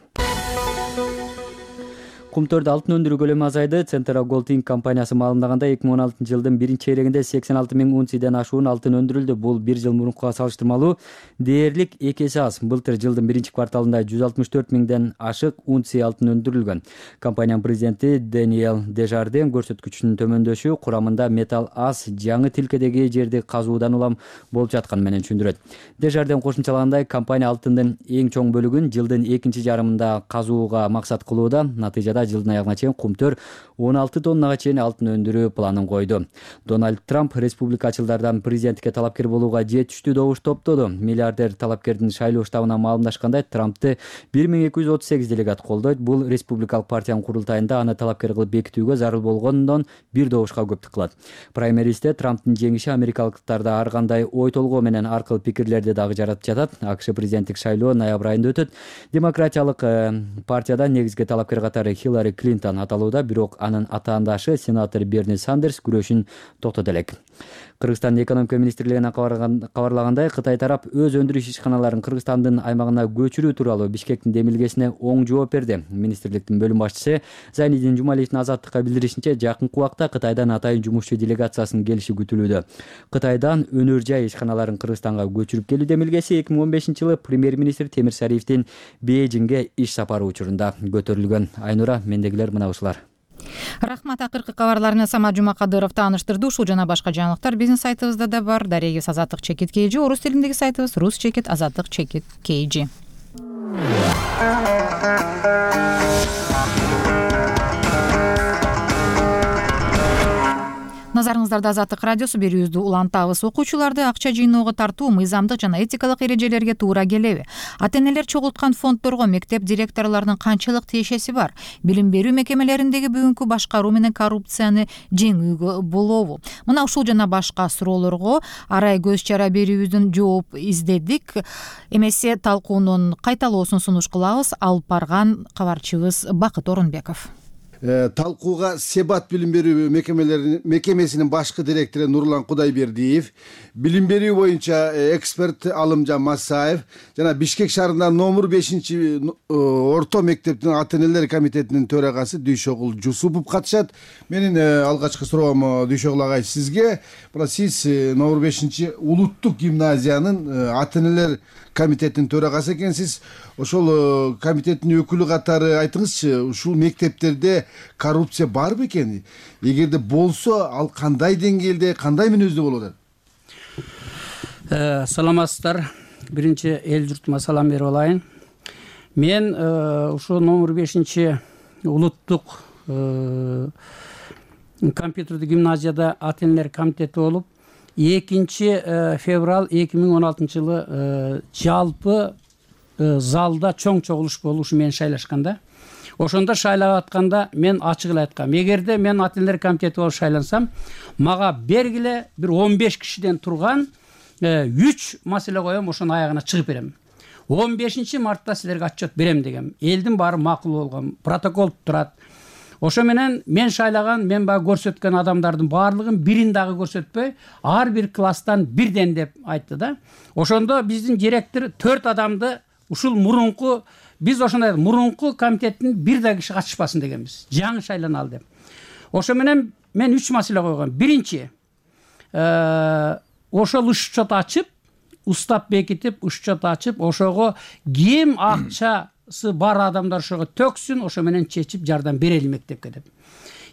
Кумтөрдө алтын өндүрүү көлөмү азайды. Central Gold Inc компаниясы маалымдаганда эки миң он алтынчы жылдын биринчи чейрегинде сексен алты миң унциядан ашуун алтын өндүрүлдү. Бул бир жыл мурункуга салыштырмалуу дээрлик эки эсе аз. Былтыр жылдын биринчи кварталында жүз алтымыш төрт миңден ашык унция алтын өндүрүлгөн. Компаниянын президенти Даниэл Дежарден көрсөткүчүнүн төмөндөшү курамында металл аз, жаңы тилкедеги жерди казуудан улам болуп жатканы менен түшүндүрөт. Дежарден кошумчалагандай, компания алтындын эң чоң бөлүгүн жылдын экинчи жарымында казууга максат кылууда. Натыйжада жылдын аягына чейин Кумтөр он алты тоннага чейин алтын өндүрүү планын койду. Дональд Трамп республикачылардан президенттикке талапкер болууга жетиштүү добуш топтоду. Миллиардер талапкердин шайлоо штабына маалымдашкандай, Трампты бир миң эки жүз отуз сегиз делегат колдойт. Бул республикалык партиянын курултайында аны талапкер кылып бекитүүгө зарыл болгондон бир добушка көптүк кылат. Праймеристе Трамптын жеңиши америкалыктарда ар кандай ой толгоо менен аркылуу пикирлерди дагы жаратып жатат. АКШ президенттик шайлоо ноябрь айында өтөт. Демократиялык партиядан негизги талапкер катары Хиллари Клинтон аталууда, бирок анын атаандашы сенатор Берни Сандерс күрөшүн токтото элек. Кыргызстандын экономика министрлигинен кабарлагандай, Кытай тарап өз өндүрүш ишканаларын Кыргызстандын аймагына көчүрүү тууралуу Бишкектин демилгесине оң жооп берди. Министрликтин бөлүм башчысы Зайнидин Жумалиевдин Азаттыкка билдиришинче, жакынкы убакта Кытайдан атайын жумушчу делегациясынын келиши күтүлүүдө. Кытайдан өнөр жай ишканаларын Кыргызстанга көчүрүп келүү демилгеси эки миң он бешинчи жылы премьер-министр Темир Сариевдин Бейжиңге иш сапары учурунда көтөрүлгөн. Айнура, мендегилер мына ушулар. Рахмат, акыркы кабарларына Самат Жумакадыров тааныштырды. Ушул жана башка жаңылыктар биздин сайтыбызда да бар. Дарегибиз Азаттык чекит кей жи, орус тилиндеги сайтыбыз Рус чекит Азаттык чекит кей жи. назарыңыздарда Азаттык радиосу. Берүүбүздү улантабыз. Окуучуларды акча жыйноого тартуу мыйзамдык жана этикалык эрежелерге туура келеби? Ата-энелер чогулткан фонддорго мектеп директорлорунун канчалык тиешеси бар? Билим берүү мекемелериндеги бүгүнкү башкаруу менен коррупцияны жеңүүгө болобу? Мына ушул жана башка суроолорго арай көз чара берүүбүздүн жооп издедик. Эмесе талкуунун кайталоосун сунуш кылабыз. Алып барган кабарчыбыз Бакыт Орунбеков. Талкууга Себат билим берүү мекемесинин башкы директору Нурлан Кудайбердиев, билим берүү боюнча эксперт Алымжан Масаев жана Бишкек шаарындагы номер бешинчи орто мектептин ата-энелер комитетинин төрагасы Дүйшөгүл Жусупов катышат. Менин алгачкы суроом Дүйшөгүл агай сизге. Мына сиз номер бешинчи улуттук гимназиянын ата-энелер комитетинин төрагасы экенсиз. Ошол комитеттин өкүлү катары айтыңызчы, ушул мектептерде коррупция бар бекен? Эгерде болсо, ал кандай деңгээлде, кандай мүнөздө болуп атат? Саламатсыздар. Биринчи эл журтума салам берип алайын. Мен ушул номер бешинчи улуттук компьютердик гимназияда ата-энелер комитети болуп, экинчи февраль эки миң он алтынчы жылы жалпы залда чоң чогулуш болуп ушу мени шайлашканда. Ошондо шайлап атканда мен ачык эле айткам, эгерде мен ата-энелер комитети болуп шайлансам, мага бергиле бир он беш кишиден турган үч маселе коем, ошонун аягына чыгып берем. он бешинчи мартта силерге отчет берем дегем. Элдин баары макул болгон, протокол турат. Ошо менен мен шайлаган, мен баягы көрсөткөн адамдардын баардыгын бирин дагы көрсөтпөй, ар бир класстан бирден деп айтты да. Ошондо биздин директор төрт адамды ушул мурунку, биз ошондой мурунку комитеттин бир да киши катышпасын дегенбиз. Жаңы шайланалы деп. Ошо менен мен үч маселе койгом. Биринчи, ошол учет ачып, устап бекитип, учет ачып, ошого ким акчасы бар адамдар ошого төксүн, ошо менен чечип жардам берели мектепке деп.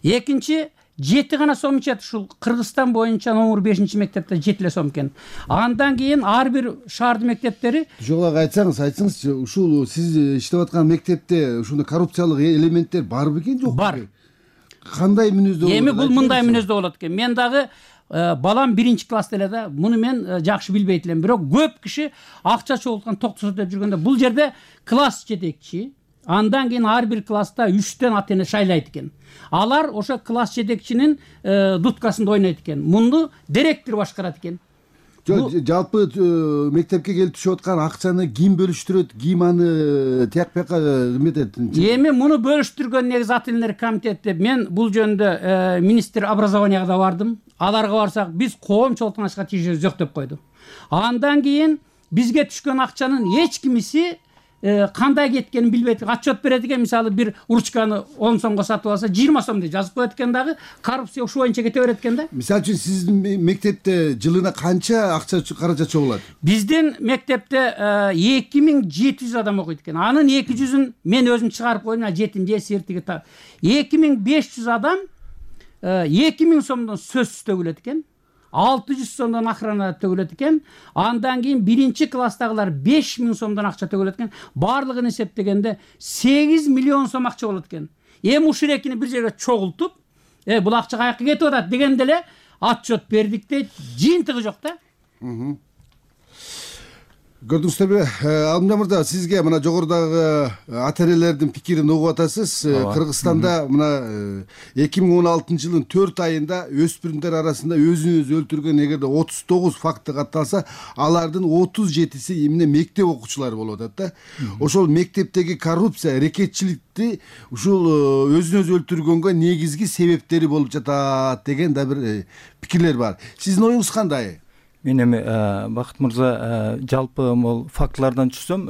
Экинчи, жети гана сом ичет, ушул Кыргызстан боюнча номер бешинчи мектепте жети эле сом экен. Андан кийин ар бир шаардын мектептери. Жок, айтсаңыз, айтсаңызчы, ушул сиз иштеп аткан мектепте ушундай коррупциялык элементтер бар бекен, жокпу? Бар. Кандай мүнөздө болот? Эми бул мындай мүнөздө болот экен. Мен дагы балам биринчи класста эле да, муну мен жакшы билбейт элем. Бирок көп киши акча чогулткан токтосо деп жүргөндө, бул жерде класс жетекчи, андан кийин ар бир класста үчтөн ата-эне шайлайт экен. Алар ошо класс жетекчинин дуткасында ойнойт экен. Муну директор башкарат экен. Жалпы мектепке келип түшүп аткан акчаны ким бөлүштүрөт, ким аны тияк бияка эметет? Эми муну бөлүштүргөн негизи ата-энелер комитети. Мен бул жөнүндө министр образованияга да бардым. Аларга барсак, биз коомчулуктун ачка тийишебиз жок деп койду. Андан кийин бизге түшкөн акчанын эч кимиси кандай кеткенин билбейт. Отчет берет экен, мисалы бир ручканы он сомго сатып алса, жыйырма сом деп жазып коет экен дагы, коррупция ушул боюнча кете берет экен да. Мисалы үчүн сиздин мектепте жылына канча акча каражат чогулат? Биздин мектепте эки миң жети жүз адам окуйт экен. Анын эки жүзүн мен өзүм чыгарып койдум, жетинчи сертиги та. эки миң беш жүз адам эки миң сомдон сөзсүз төгүлөт экен. алты жүз сомдон охрана төгүлөт экен. Андан кийин биринчи класстагылар беш миң сомдон акча төгүлөт экен. Баардыгын эсептегенде сегиз миллион сом акча болот экен. Эми ушул экини бир жерге чогултуп, э бул акча каяка кетип атат дегенде эле отчет бердик дейт. Жыйынтыгы жок да. Көрдүңүздөрбү, Алымжан мырза, сизге мына жогорудагы ата-энелердин пикирин угуп атасыз. Кыргызстанда мына эки миң он алтынчы жылдын төрт айында өспүрүмдөр арасында өзүн өзү өлтүргөн эгерде отуз тогуз факты катталса, алардын отуз жетиси эмне мектеп окуучулары болуп атат да. Ошол мектептеги коррупция, рекетчиликти ушул өзүн өзү өлтүргөнгө негизги себептери болуп жатат деген да бир пикирлер бар. Сиздин оюңуз кандай? Мен эми Бакыт мырза, жалпы могул фактылардан түшсөм,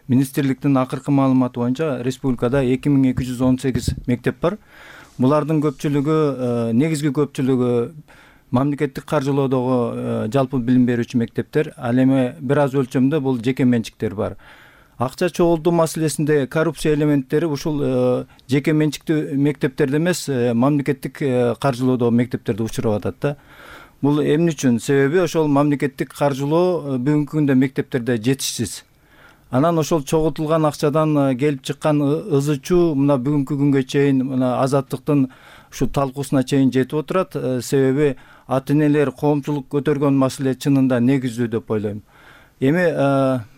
министрликтин акыркы маалыматы боюнча республикада эки миң эки жүз он сегиз мектеп бар. Булардын көпчүлүгү, негизги көпчүлүгү мамлекеттик каржылоодогу жалпы билим берүүчү мектептер, ал эми бир аз өлчөмдө бул жеке менчиктер бар. Акча чогултуу маселесинде коррупция элементтери ушул жеке менчиктүү мектептерде эмес, мамлекеттик каржылоодогу мектептерде учурап атат да. Бул эмне үчүн? Себеби ошол мамлекеттик каржылоо бүгүнкү күндө мектептерде жетишсиз. Анан ошол чогултулган акчадан келип чыккан ызы чуу мына бүгүнкү күнгө чейин мына Азаттыктын ушу талкуусуна чейин жетип отурат. Себеби ата энелер коомчулук көтөргөн маселе чынында негиздүү деп ойлойм. Эми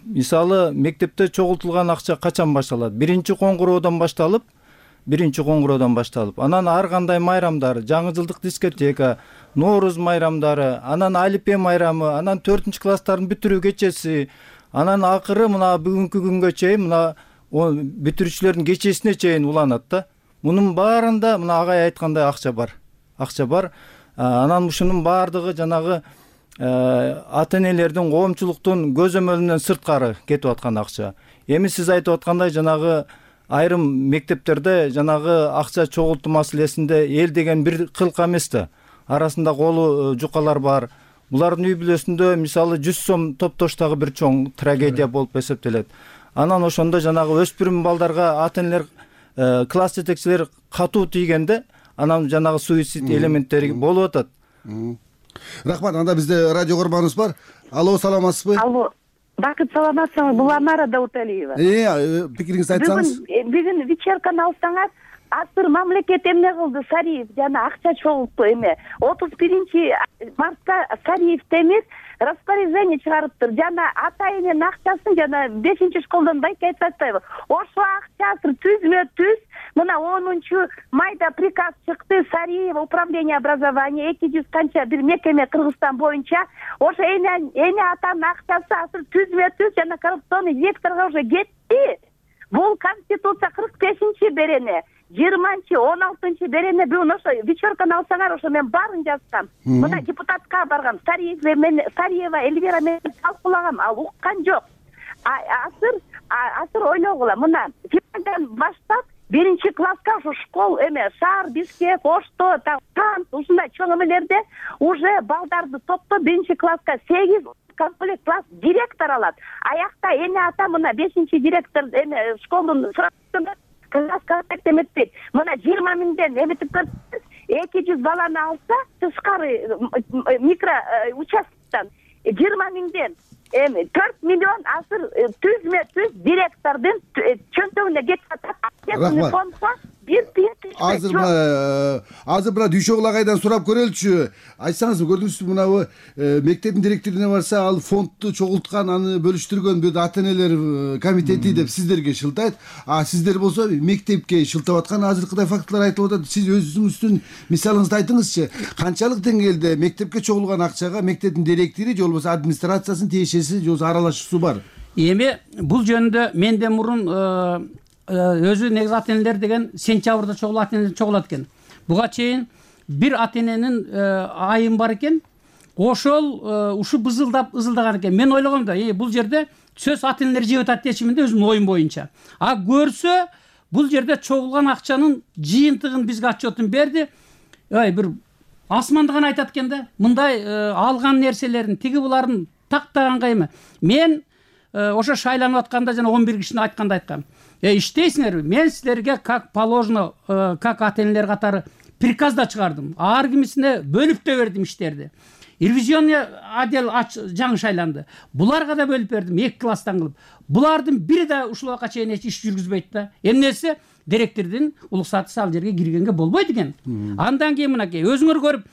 мисалы мектепте чогултулган акча качан башталат? Биринчи коңгуроодон башталып, биринчи коңгуроодон башталып, анан ар кандай майрамдар, жаңы жылдык дискотека, Нооруз майрамдары, анан Алипе майрамы, анан төртүнчү класстардын бүтүрүү кечеси, анан акыры мына бүгүнкү күнгө чейин мына бүтүрүүчүлөрдүн кечесине чейин уланат да. Мунун баарында мына агай айткандай акча бар. Акча бар. Анан ушунун баардыгы жанагы ата энелердин коомчулуктун көзөмөлүнөн сырткары кетип аткан акча. Эми сиз айтып аткандай жанагы айрым мектептерде жанагы акча чогултуу маселесинде эл деген бир кылка эмес да. Арасында колу жукалар бар. Булардын үй бүлөсүндө мисалы жүз сом топтоштагы бир чоң трагедия болуп эсептелет. Анан ошондо жанагы өспүрүм балдарга ата энелер, класс жетекчилер катуу тийгенде анан жанагы суицид элементтери болуп атат. Рахмат. Анда бизде радио көрманыбыз бар. Алло, саламатсызбы? Алло. Бакыт, саламатсызбы? Бул Анара Дауталиева. Э, пикириңизди айтсаңыз. Бүгүн бүгүн вечерканы алсаңар, азыр мамлекет эмне кылды? Сариев жана акча чогултту эме. отуз биринчи мартта Сариев темир распоряжение чыгарыптыр. Жана ата эненин акчасын жана бешинчи школдон байке айтып атпайбы? Ошо акча азыр түзмө түз мына онунчу майда приказ чыкты. Сариев управление образования эки жүз канча бир мекеме Кыргызстан боюнча ошо эне эне атанын акчасы азыр түзмө түз жана коррупционный секторго уже кетти. Бул конституция кырк бешинчи берене, жыйырманчы, он алтынчы берене. Бүгүн ошо вечерканы алсаңар, ошо мен баарын жазгам. Мына депутатка баргам, Сариев мен Сариева Эльвира менен талкуулагам, ал уккан жок. Азыр азыр ойлогула, мына февралдан баштап биринчи класска ушу школ эме шаар, Бишкек, Ошто, Тант ушундай чоң эмелерде уже балдарды топтоп биринчи класска сегиз комплект класс директор алат. Аякта эне ата мына бешинчи директор эме школдун сұрақтында класс контакт эметпейт. Мына жыйырма миңден эметип көрсөңүз, эки жүз баланы алса, тышкары микро участоктон жыйырма миңден эми төрт миллион азыр түзмө түз директордун чөнтөгүнө кетип атат. бир тыйын азыр мына азыр мына Дүйшө Кулагайдан сурап көрөлүчү. Айтсаңыз, көрдүңүзбү мына мектептин директоруна барса, ал фондду чогулткан, аны бөлүштүргөн бир ата энелер комитети деп сиздерге шылтайт. А сиздер болсо мектепке шылтап аткан азыркыдай фактылар айтылып атат. Сиз өзүңүздүн мисалыңызды айтыңызчы. Канчалык деңгээлде мектепке чогулган акчага мектептин директори же болбосо администрациясынын тиешеси же болбосо аралашуусу бар? Эми бул жөнүндө менден мурун өзү негизи ата энелер деген сентябрда чогулат, ата энелер чогулат экен. Буга чейин бир ата эненин айым бар экен. Ошол ушу бызылдап ызылдаган экен. Мен ойлогом да, бул жерде сөз ата энелер жеп атат дечимин да, өзүмдүн оюм боюнча. А көрсө бул жерде чогулган акчанын жыйынтыгын бизге отчетун берди. Ой, бир асманды гана айтат экен да. Мындай алган нерселерин тиги буларын тактаганга эме. Мен ошо шайланып атканда жана он бир кишини айтканда айткам. Э, иштейсиңерби? Мен силерге как положено, как ата энелер катары приказ да чыгардым. Ар кимисине бөлүп да бердим иштерди. Ревизионный отдел жаңы шайланды. Буларга да бөлүп бердим, эки класстан кылып. Булардын бири да ушулга чейин эч иш жүргүзбөйт да. Эмнеси? Директордун уруксаты ал жерге киргенге болбойт экен. Андан кийин мынакей өзүңөр көрүп,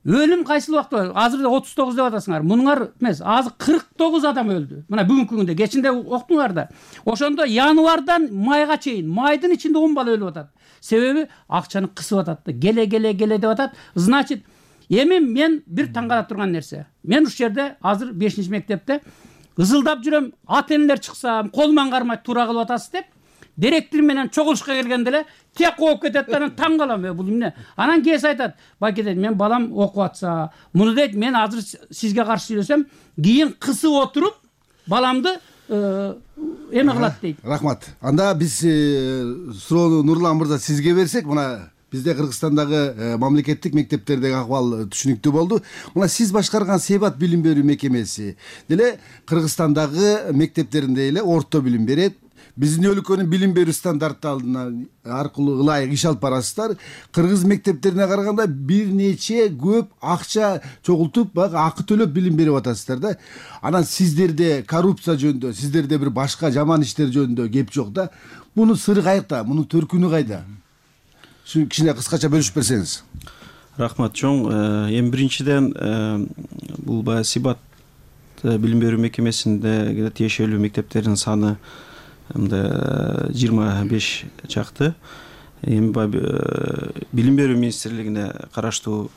өлүм кайсыл убакта? Азыр отуз тогуз деп атасыңар. Мунуңар эмес, азыр кырк тогуз адам өлдү. Мына бүгүнкү күндө, кечинде октуңар да. Ошондо январдан майга чейин, майдын ичинде он бала өлүп атат. Себеби акчаны кысып атат да. Келе келе келе деп атат. Значит, эми мен бир таң калып турган нерсе. Мен ушул жерде азыр бешинчи мектепте ызылдап жүрөм. Ата энелер чыкса, колуман кармай туура кылып атасыз деп. Директор менен чогулушка келгенде эле тек окуп кетет да, анан таң калам. Бул эмне? Анан кээси айтат, байке дейт, мен балам окуп атса, муну дейт, мен азыр сизге каршы сүйлөсөм, кийин кысып отуруп баламды эме кылат дейт. Рахмат. Анда биз суроону Нурлан мырза сизге берсек, мына бизде Кыргызстандагы мамлекеттик мектептердеги акыбал түшүнүктүү болду. Мына сиз башкарган Себат билим берүү мекемеси деле Кыргызстандагы мектептеринде эле орто билим берет. Биздин өлкөнүн билим берүү стандарттарына аркылуу ылайык иш алып барасыздар. Кыргыз мектептерине караганда бир нече көп акча чогултуп, баягы акы төлөп билим берип атасыздар да. Анан сиздерде коррупция жөнүндө, сиздерде бир башка жаман иштер жөнүндө кеп жок да. Мунун сыры кайякта? Мунун төркүнү кайда? кичине кыскача бөлүшүп берсеңиз. Рахмат чоң. Эми биринчиден бул баягы Сибат билим берүү мекемесинде тиешелүү мектептердин саны мындай жыйырма беш чакты. Эми билим берүү министрлигине караштуу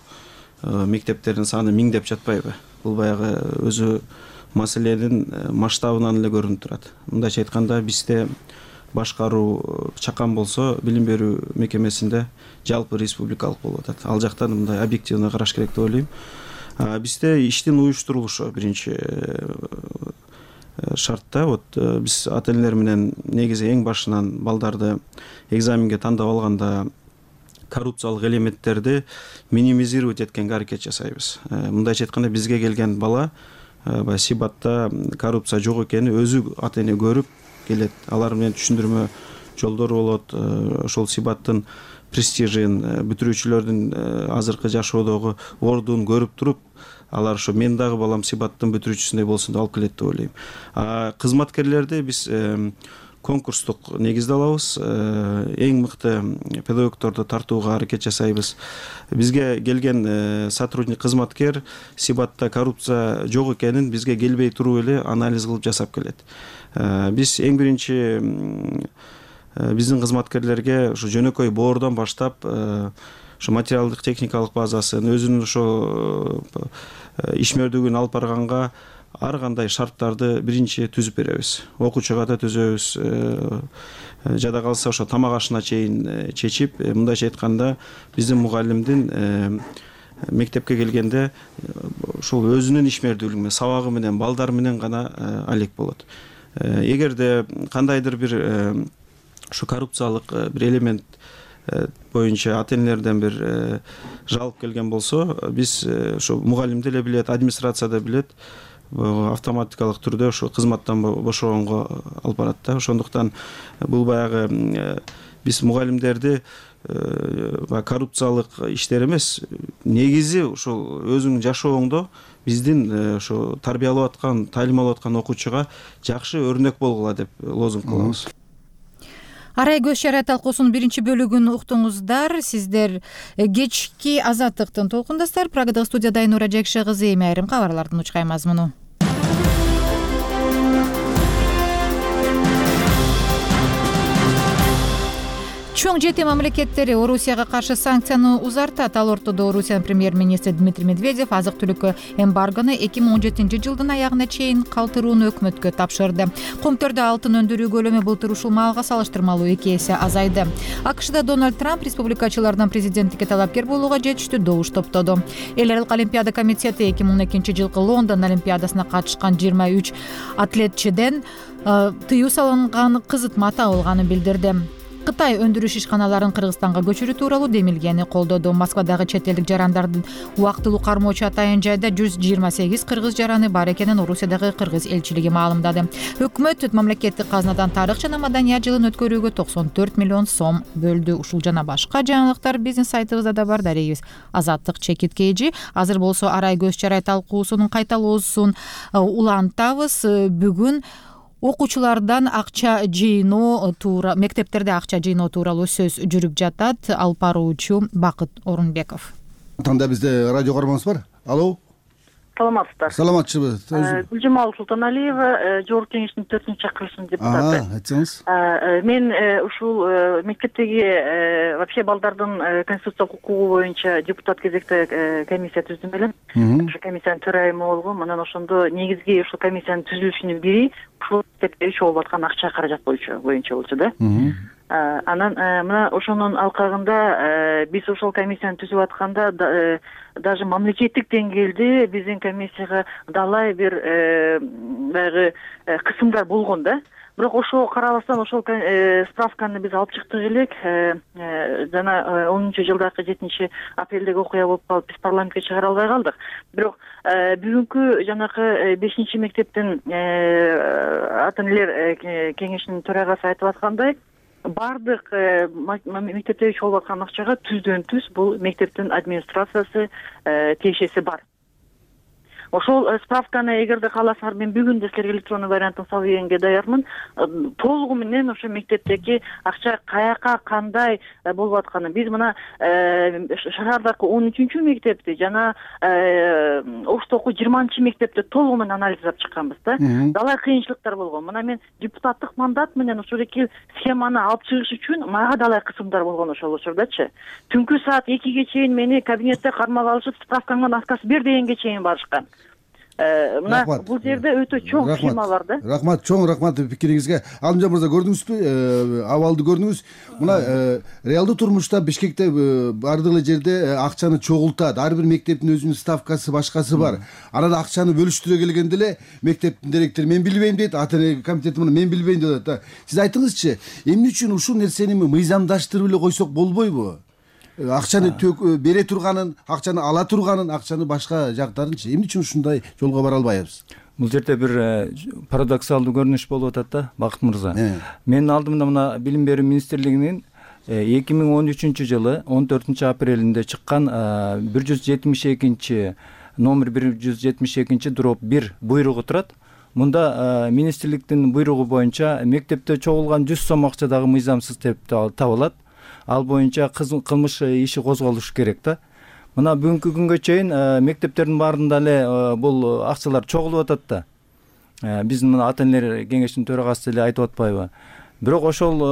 мектептердин саны миң деп жатпайбы? Бул баягы өзү маселенин масштабынан эле көрүнүп турат. Мындайча айтканда бизде башкаруу чакан болсо билим берүү мекемесинде жалпы республикалык болуп атат. Ал жактан мындай объективно караш керек деп ойлойм. Бизде иштин уюштурулушу биринчи шартта. Вот биз ата энелер менен негизи эң башынан балдарды экзаменге тандап алганда коррупциялык элементтерди минимизировать эткенге аракет жасайбыз. Мындайча айтканда бизге келген бала баягы Сибатта коррупция жок экенин өзү ата эне көрүп келет. Алар менен түшүндүрмө жолдору болот. Ошол Сибаттын престижин, бүтүрүүчүлөрдүн азыркы жашоодогу ордун көрүп туруп, алар ошо мен дагы балам Сибаттын бүтүрүүчүсүндөй болсун деп алып келет деп ойлойм. А кызматкерлерди биз конкурстук негизде алабыз. Эң мыкты педагогдорду тартууга аракет жасайбыз. Бизге келген сотрудник кызматкер Сибатта коррупция жок экенин бизге келбей туруп эле анализ кылып жасап келет. Биз эң биринчи биздин кызматкерлерге ушу жөнөкөй боордон баштап ушу материалдык техникалык базасын, өзүнүн ошо ишмердүүлүгүн алып барганга ар кандай шарттарды биринчи түзүп беребиз. Окуучуга да түзөбүз. Жада калса ошо тамак ашына чейин чечип, мындайча айтканда биздин мугалимдин мектепке келгенде ошол өзүнүн ишмердүүлүгү менен, сабагы менен, балдар менен гана алек болот. Эгерде кандайдыр бир ушу коррупциялык бир элемент боюнча ата энелерден бир жалоп келген болсо, биз ошо мугалим деле билет, администрация да билет, автоматикалык түрдө ошо кызматтан бошогонго алып барат да. Ошондуктан бул баягы биз мугалимдерди коррупциялык иштер эмес, негизи ошол өзүңүн жашооңдо биздин ошо тарбиялап аткан, таалим алып аткан окуучуга жакшы өрнөк болгула деп лозунг кылабыз. Арай көз чарай талкуусунун биринчи бөлүгүн уктуңуздар. Сиздер кечки Азаттыктын толкундасыздар. Прагадагы студияда Айнура Жекше кызы. Эми айрым кабарлардын учкай мазмуну. Чоң жети мамлекеттери Орусияга каршы санкцияны узартат. Ал ортодо Орусиянын премьер-министри Дмитрий Медведев азык-түлүккө эмбаргону эки миң он жетинчи жылдын аягына чейин калтырууну өкмөткө тапшырды. Коомдордо алтын өндүрүү көлөмү былтыр ушул маалга салыштырмалуу эки эсе азайды. АКШда Дональд Трамп республикачылардан президенттикке талапкер болууга жетиштүү добуш топтоду. Эл аралык олимпиада комитети эки миң он экинчи жылкы Лондон олимпиадасына катышкан жыйырма үч атлетчиден тыюу салынган кызытма табылганын билдирди. Кытай өндүрүш ишканаларын Кыргызстанга көчүрүү тууралуу демилгени колдоду. Москвадагы чет элдик жарандардын убактылуу кармоочу атайын жайда жүз жыйырма сегиз кыргыз жараны бар экенин Орусиядагы кыргыз элчилиги маалымдады. Өкмөт мамлекеттик казнадан тарых жана маданият жылын өткөрүүгө токсон төрт миллион сом бөлдү. Ушул жана башка жаңылыктар биздин сайтыбызда да бар. Дарегибиз Азаттык чекит kg. Азыр болсо арай көз чарай талкуусунун кайталоосун улантабыз. Бүгүн окуучулардан акча жыйноо туура мектептерде акча жыйноо тууралуу сөз жүрүп жатат. Алып баруучу Бакыт Орунбеков. Танда бизде радио каарманыбыз бар. Алло. Саламатсыздар. Саламатчыбы. Гүлжамал Султаналиева, Жогорку кеңештин төртүнчү чакырылышынын депутаты. Айтсаңыз. Мен ушул мектептеги вообще балдардын конституциялык укугу боюнча депутат кезекте комиссия түздүм элем. Ошол комиссиянын төрайымы болгом. Анан ошондо негизги ушул комиссиянын түзүлүшүнүн бири ушул мектепте чогулуп аткан акча каражат боюнча боюнча болчу да. Анан мына ошонун алкагында биз ошол комиссияны түзүп атканда даже мамлекеттик деңгээлде биздин комиссияга далай бир баягы кысымдар болгон да. Бирок ошого карабастан ошол справканы биз алып чыктык элек. Жана онунчу жылдагы жетинчи апрелдеги окуя болуп калып биз парламентке чыгара албай калдык. Бирок бүгүнкү жанакы бешинчи мектептин ата энелер кеңешинин төрагасы айтып аткандай, бардык мектепте чогулуп аткан акчага түздөн түз бул мектептин администрациясы тиешеси бар. ошол справканы эгерде кааласаңар мен бүгүн да силерге электронный вариантын салып бергенге даярмын. Толугу менен ошо мектептеги акча каяка кандай болуп атканын биз мына шаардагы он үчүнчү мектепти жана Оштогу жыйырманчы мектепти толугу менен анализ жасап чыкканбыз да. Далай кыйынчылыктар болгон. Мына мен депутаттык мандат менен ушул эки схеманы алып чыгыш үчүн мага далай кысымдар болгон ошол учурдачы. Түнкү саат экиге чейин мени кабинетте кармап алышып, справкаңан аткасы бер дегенге чейин барышкан. Мына бул жерде өтө чоң схема бар да. Рахмат, чоң рахмат пикириңизге. Алымжан мырза, көрдүңүзбү? Абалды көрдүңүз. Мына реалдуу турмушта Бишкекте бардык эле жерде акчаны чогултат. Ар бир мектептин өзүнүн ставкасы, башкасы бар. Анан акчаны бөлүштүрө келгенде эле мектептин директору мен билбейм дейт, ата эне комитети мына мен билбейм деп атат. Сиз айтыңызчы, эмне үчүн ушул нерсени мыйзамдаштырып эле койсок болбойбу? Акчаны бере турганын, акчаны ала турганын, акчаны башка жактарынчы эмне үчүн ушундай жолго бара албайбыз? Бул жерде бир парадоксалдуу көрүнүш болуп атат да, Бакыт мырза. Менин алдымда мына Билим берүү министрлигинин эки миң он үчүнчү жылы он төртүнчү апрелинде чыккан бир жүз жетимиш экинчи номер бир жүз жетимиш экинчи дробь бир буйругу турат. Мында министрликтин буйругу боюнча мектепте чогулган жүз сом акча дагы мыйзамсыз деп табылат. Ал боюнча кылмыш иши козголуш керек да. Мына бүгүнкү күнгө чейин мектептердин баарында эле бул акчалар чогулуп атат да. Биздин мына ата энелер кеңешинин төрагасы эле айтып атпайбы? Бирок ошол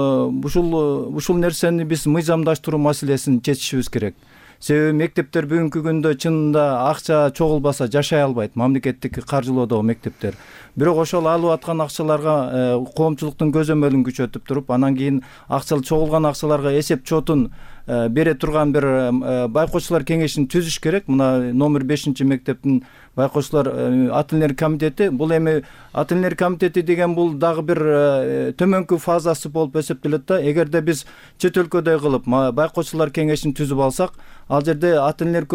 ушул ушул нерсени биз мыйзамдаштыруу маселесин чечишибиз керек. Себеби мектептер бүгүнкү күндө чынында акча чогулбаса жашай албайт, мамлекеттик каржылоодогу мектептер. Бирок ошол алып аткан акчаларга коомчулуктун көзөмөлүн күчөтүп туруп, анан кийин акча чогулган акчаларга эсеп чотун бере турган бир байкоочулар кеңешин түзүш керек. Мына номер бешинчи мектептин байкоочулар ата энелер комитети, бул эми ата энелер комитети деген бул дагы бир төмөнкү фазасы болуп эсептелет да. Эгерде биз чет өлкөдөй кылып байкоочулар кеңешин түзүп алсак, ал жерде ата энелер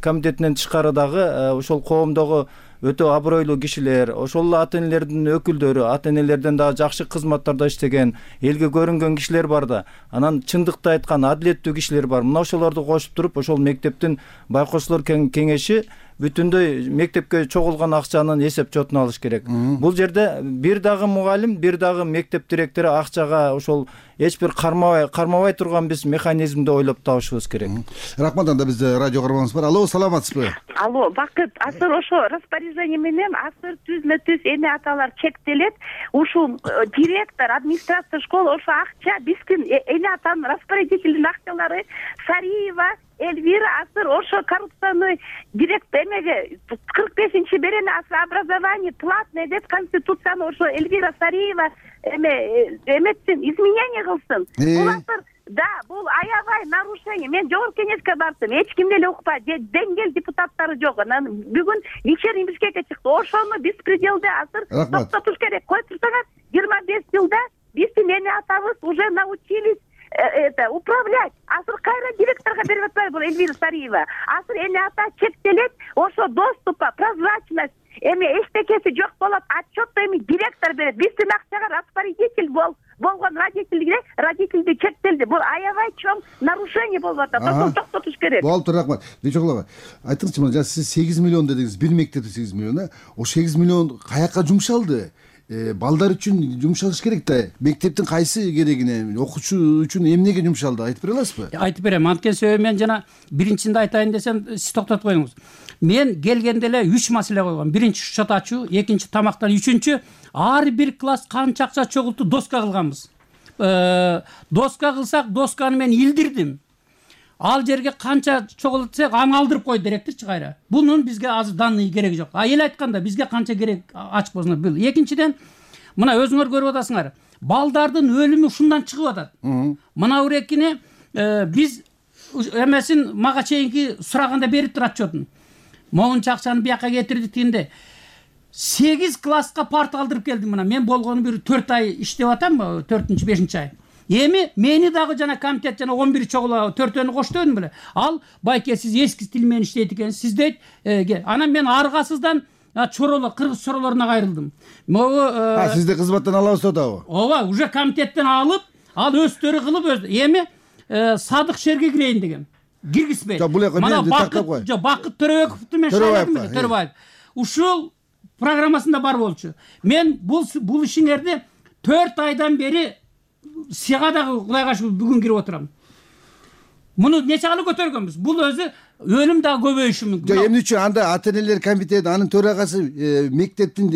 комитетинен тышкары дагы ошол коомдогу өтө абройлуу кишилер, ошол ата энелердин өкүлдөрү, ата энелерден дагы жакшы кызматтарда иштеген, элге көрүнгөн кишилер бар да. Анан чындыкты айткан адилеттүү кишилер бар. Мына ошолорду кошуп туруп, ошол мектептин байкоочулар кеңеши бүтүндөй мектепке чогулган акчанын эсеп чотун алыш керек. Бул жерде бир дагы мугалим, бир дагы мектеп директору акчага ошол эч бир кармабай кармабай турган биз механизмди ойлоп табышыбыз керек. Рахмат, анда бизде радио каарманыбыз бар. Алло, саламатсызбы? Алло, Бакыт, азыр ошо распоряжение менен азыр түзмө түз эне аталар чектелет. Ушул директор, администрация школы ошо акча биздин эне атанын распорядительдин акчалары Сариева Эльвира азыр ошо коррупционный директор эмеге кырк бешинчи берене образование платное деп конституцияны ошо Эльвира Сариева эме эметсин, изменение кылсын. Бул азыр да, бул аябай нарушение. Мен жогорку кеңешке бардым, эч ким деле укпай, деңгел депутаттары жок. Анан бүгүн вечерний Бишкекке чыкты. Ошону беспределде азыр токтотуш керек. Кой турсаңар, жыйырма беш жылда биздин эне атабыз уже научились это управлять. Азыр кайра директорго берип атпайбы бул Эльвира Сариева? Азыр эне ата чектелет, ошо доступа, прозрачность, эми эчтекеси жок болот, отчетто эми директор берет. Биздин акчага распорядитель бол болгон родительге родительди чектелди. Бул аябай чоң нарушение болуп атат. Ошону токтотуш керек. Болуптур, рахмат. Дечоглова, айтыңызчы, мына сиз сегиз миллион дедиңиз, бир мектепте сегиз миллион, ошо сегиз миллион каяка жумшалды? Балдар үчүн жумшалыш керек да. Мектептин кайсы керегине, окуучу үчүн эмнеге жумшалды? Айтып бере аласызбы? Айтып берем. Анткени себеби мен жана биринчинде айтайын десем, сиз токтотуп коюңуз. Мен келгенде эле үч маселе койгом. Биринчи счет ачуу, экинчи тамактан, үчүнчү ар бир класс канча акча чогулту доска кылганбыз. Доска кылсак, досканы мен илдирдим. Ал жерге канча чогултсак, аны алдырып койду директорчу кайра. Бунун бизге азыр данный кереги жок. А эл айтканда бизге канча керек ачык болсун. Бул экинчиден, мына өзүңөр көрүп атасыңар, балдардын өлүмү ушундан чыгып атат. Мына урекине биз эмесин мага чейинки сураганда берип турат отчетун. Могунча акчаны бияка кетирдик дегенде сегиз класска парта алдырып келдим. Мына мен болгону бир төрт ай иштеп атам, төртүнчү бешинчи ай. Эми мени дагы жана комитет жана он бир чогула төртөөнү коштойдум беле. Ал байке сиз эски тил менен иштейт экенсиз, сиз дейт. Анан мен аргасыздан чороло кыргыз чоролоруна кайрылдым. Могу А сизди кызматтан алабыз атабы? Ооба, уже комитеттен алып, ал өздөрү кылып өз. Эми Садык шерге кирейин дегем. Киргизбей. Мына Бакыт, жок, Бакыт Төрөбековду мен шайладым эле, Төрөбаев. ушул программасында бар болчу. Мен бул бул ишиңерди төрт айдан бери сага дагы Кудайга шүгүр бүгүн кирип отурам. Муну нече калы көтөргөнбүз? Бул өзү өлүм дагы көбөйүшү мүмкүн. Жок, эмне үчүн анда ата-энелер комитети, анын төрагасы мектептин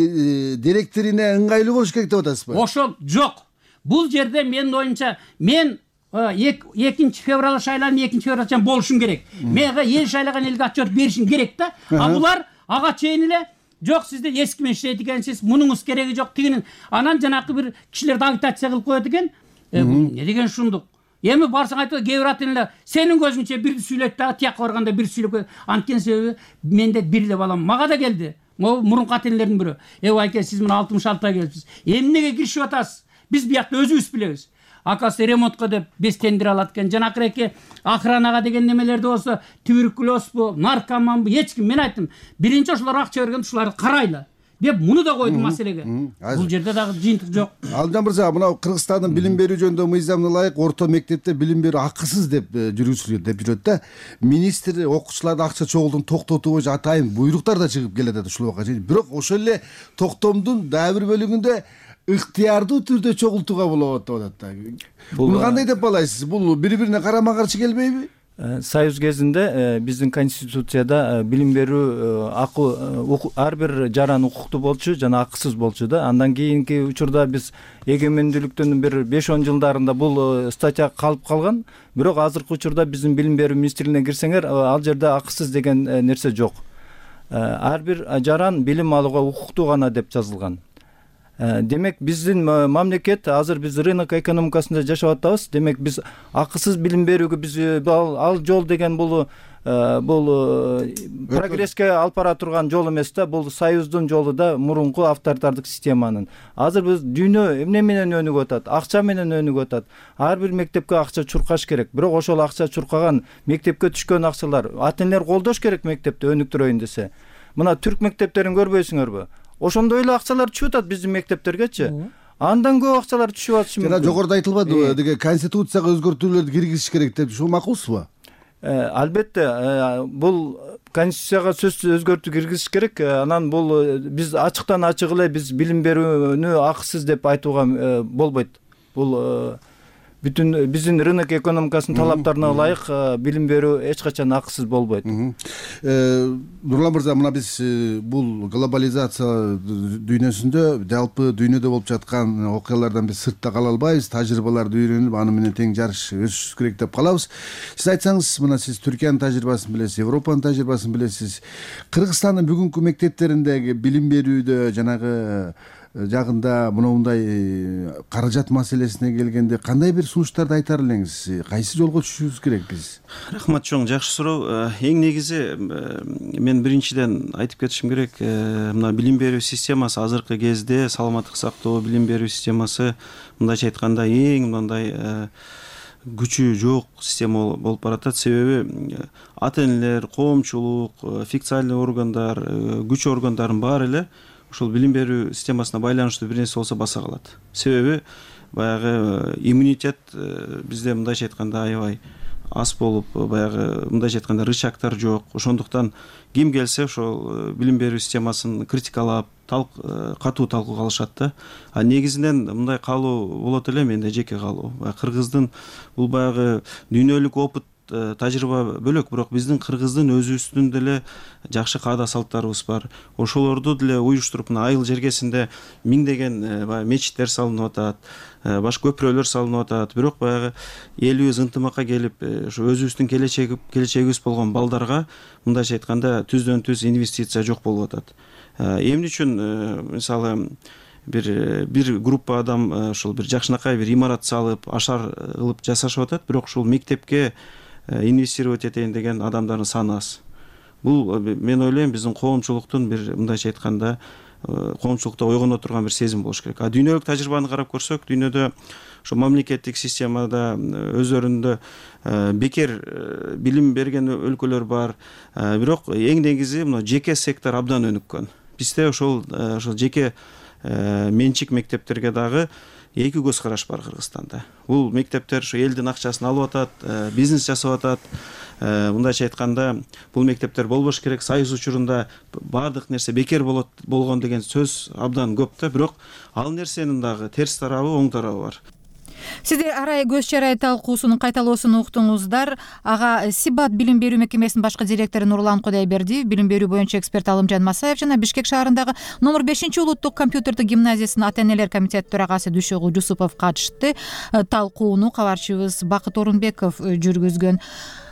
директоруна ыңгайлуу болуш керек деп атасызбы? Ошол жок. Бул жерде менин оюмча мен экинчи февраль шайланып, экинчи февралчан болушум керек. Мага эл шайлаган элге отчет беришим керек да. А булар ага чейин эле жок, сизде эски менен иштейт экенсиз, мунуңуз кереги жок дегенин. Анан жанакы бир кишилерди агитация кылып коет экен. Не деген шундук? Эми барсаң айтып, кээ бир ата-энелер сенин көзүңчө бирди сүйлөйт дагы, тияка барганда бир сүйлөп, анткени себеби менде бир эле балам. Мага да келди. Могу мурунку ата-энелердин бирөө. Эб айке, сиз мына алтымыш алтыга келипсиз. Эмнеге киришип атасыз? Биз биякта өзүбүз билебиз. Акасы ремонтко деп без тендер алат экен. Жанакыреки охранага деген немелерде болсо, туберкулезбу, наркоманбы, эч ким. Мен айттым, биринчи ошолор акча берген, ушуларды карайлы деп муну да койдум маселеге. Бул жерде дагы жыйынтык жок. Алжан мырза, мына Кыргызстандын билим берүү жөнүндө мыйзамына ылайык орто мектепте билим берүү акысыз деп жүргүзүлөт деп жүрөт да. Министр окуучуларды акча чогултууну токтотуу боюнча атайын буйруктар да чыгып келет ушул убакка чейин. Бирок ошол эле токтомдун дагы бир бөлүгүндө ыктыярдуу түрдө чогултууга болот деп атат да. Буну кандай деп балайсыз? Бул бири-бирине карама каршы келбейби? Союз кезинде биздин конституцияда билим берүү ар бир жаран укуктуу болчу жана акысыз болчу да. Андан кийинки учурда биз эгемендүүлүктүн бир беш он жылдарында бул статья калып калган. Бирок азыркы учурда биздин билим берүү министрлигине кирсеңер, ал жерде акысыз деген нерсе жок. Ар бир жаран билим алууга укуктуу гана деп жазылган. Демек биздин мамлекет азыр биз рынок экономикасында жашап атабыз. Демек биз акысыз билим берүүгө биз ал жол деген бул бул прогресске алып бара турган жол эмес да. Бул союздун жолу да, мурунку авторитардык системанын. Азыр биз дүйнө эмне менен өнүгүп атат? Акча менен өнүгүп атат. Ар бир мектепке акча чуркаш керек. Бирок ошол акча чуркаган мектепке түшкөн акчалар ата-энелер колдош керек мектепти өнүктүрөйүн десе. Мына түрк мектептерин көрбөйсүңөрбү? Ошондой эле акчалар түшүп атат биздин мектептергечи. Андан көп акчалар түшүп атышы мүмкүн. Жана жогоруда айтылбадыбы, деге конституцияга өзгөртүүлөрдү киргизиш керек деп, ушул макулсузбу? Албетте, бул конституцияга сөзсүз өзгөртүү киргизиш керек. Анан бул биз ачыктан ачык эле биз билим берүүнү акысыз деп айтууга болбойт. Бул бүтүн биздин рынок экономикасынын талаптарына ылайык билим берүү эч качан акысыз болбойт. Нурлан мырза, мына биз бул глобализация дүйнөсүндө, жалпы дүйнөдө болуп жаткан окуялардан биз сыртта кала албайбыз, тажрыйбаларды үйрөнүп, аны менен тең жарыш өсүш керек деп калабыз. Сиз айтсаңыз, мына сиз Түркиянын тажрыйбасын билесиз, Европанын тажрыйбасын билесиз. Кыргызстандын бүгүнкү мектептериндеги билим берүүдө жанагы жагында мындай каражат маселесине келгенде кандай бир сунуштарды айтар элеңиз? Кайсы жолго түшүшүбүз керек биз? Рахмат чоң, жакшы суроо. Эң негизи мен биринчиден айтып кетишим керек, мына билим берүү системасы азыркы кезде саламаттык сактоо билим берүү системасы мындайча айтканда эң мындай күчү жок система болуп баратат. Себеби ата-энелер, коомчулук, официальный органдар, күч органдардын баары эле ушул билим берүү системасына байланыштуу бир нерсе болсо баса калат. Себеби баягы иммунитет бизде мындайча айтканда аябай аз болуп, баягы мындайча айтканда рычагтар жок. Ошондуктан ким келсе ошол билим берүү системасын критикалап, катуу талкууга алышат да. А негизинен мындай каалоо болот эле, менде жеке каалоо. Кыргыздын бул баягы дүйнөлүк опыт тажрыйба бөлөк, бирок биздин кыргыздын өзүбүздүн деле жакшы каада салттарыбыз бар. Ошолорду деле уюштуруп, мына айыл жергесинде миңдеген баягы мечиттер салынып атат, башка көпүрөлөр салынып атат. Бирок баягы элибиз ынтымакка келип, ошо өзүбүздүн келечеги келечегибиз болгон балдарга мындайча айтканда түздөн түз инвестиция жок болуп атат. Эмне үчүн мисалы бир бир группа адам ошол бир жакшынакай бир имарат салып, ашар кылып жасашып атат, бирок ушул мектепке инвестировать этейин деген адамдардын саны аз. Бул мен ойлойм биздин коомчулуктун бир мындайча айтканда коомчулукта ойгоно турган бир сезим болуш керек. А дүйнөлүк тажрыйбаны карап көрсөк, дүйнөдө ошо мамлекеттик системада өздөрүндө бекер билим берген өлкөлөр бар. Бирок эң негизи мына жеке сектор абдан өнүккөн. Бизде ошол ошол жеке менчик мектептерге дагы эки көз караш бар Кыргызстанда. Бул мектептер ушу элдин акчасын алып атат, бизнес жасап атат. Мындайча айтканда, бул мектептер болбош керек. Союз учурунда баардык нерсе бекер болот болгон деген сөз абдан көп да, бирок ал нерсенин дагы терс тарабы, оң тарабы бар. Сиздер арай көз чарай талкуусунун кайталоосун уктуңуздар. Ага Сибат билим берүү мекемесинин башкы директору Нурлан Кудайбердиев, билим берүү боюнча эксперт Алымжан Масаев жана Бишкек шаарындагы номер бешинчи улуттук компьютердик гимназиясынын ата-энелер комитети төрагасы Дүшөгүл Жусупов катышты. Талкууну кабарчыбыз Бакыт Орунбеков жүргүзгөн.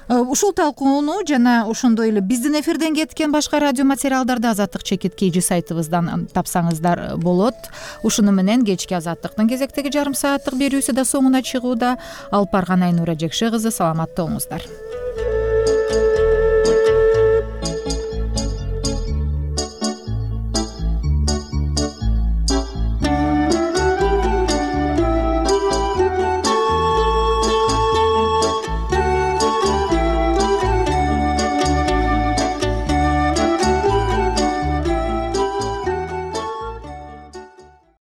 Ушул талкууну жана ошондой эле биздин эфирден кеткен башка радио материалдарды Азаттык чекит kg сайтыбыздан тапсаңыздар болот. Ушуну менен кечки Азаттыктын кезектеги жарым сааттык берүүсү да соңуна чыгууда. Алып барган Айнура Жекше кызы, саламатта болуңуздар.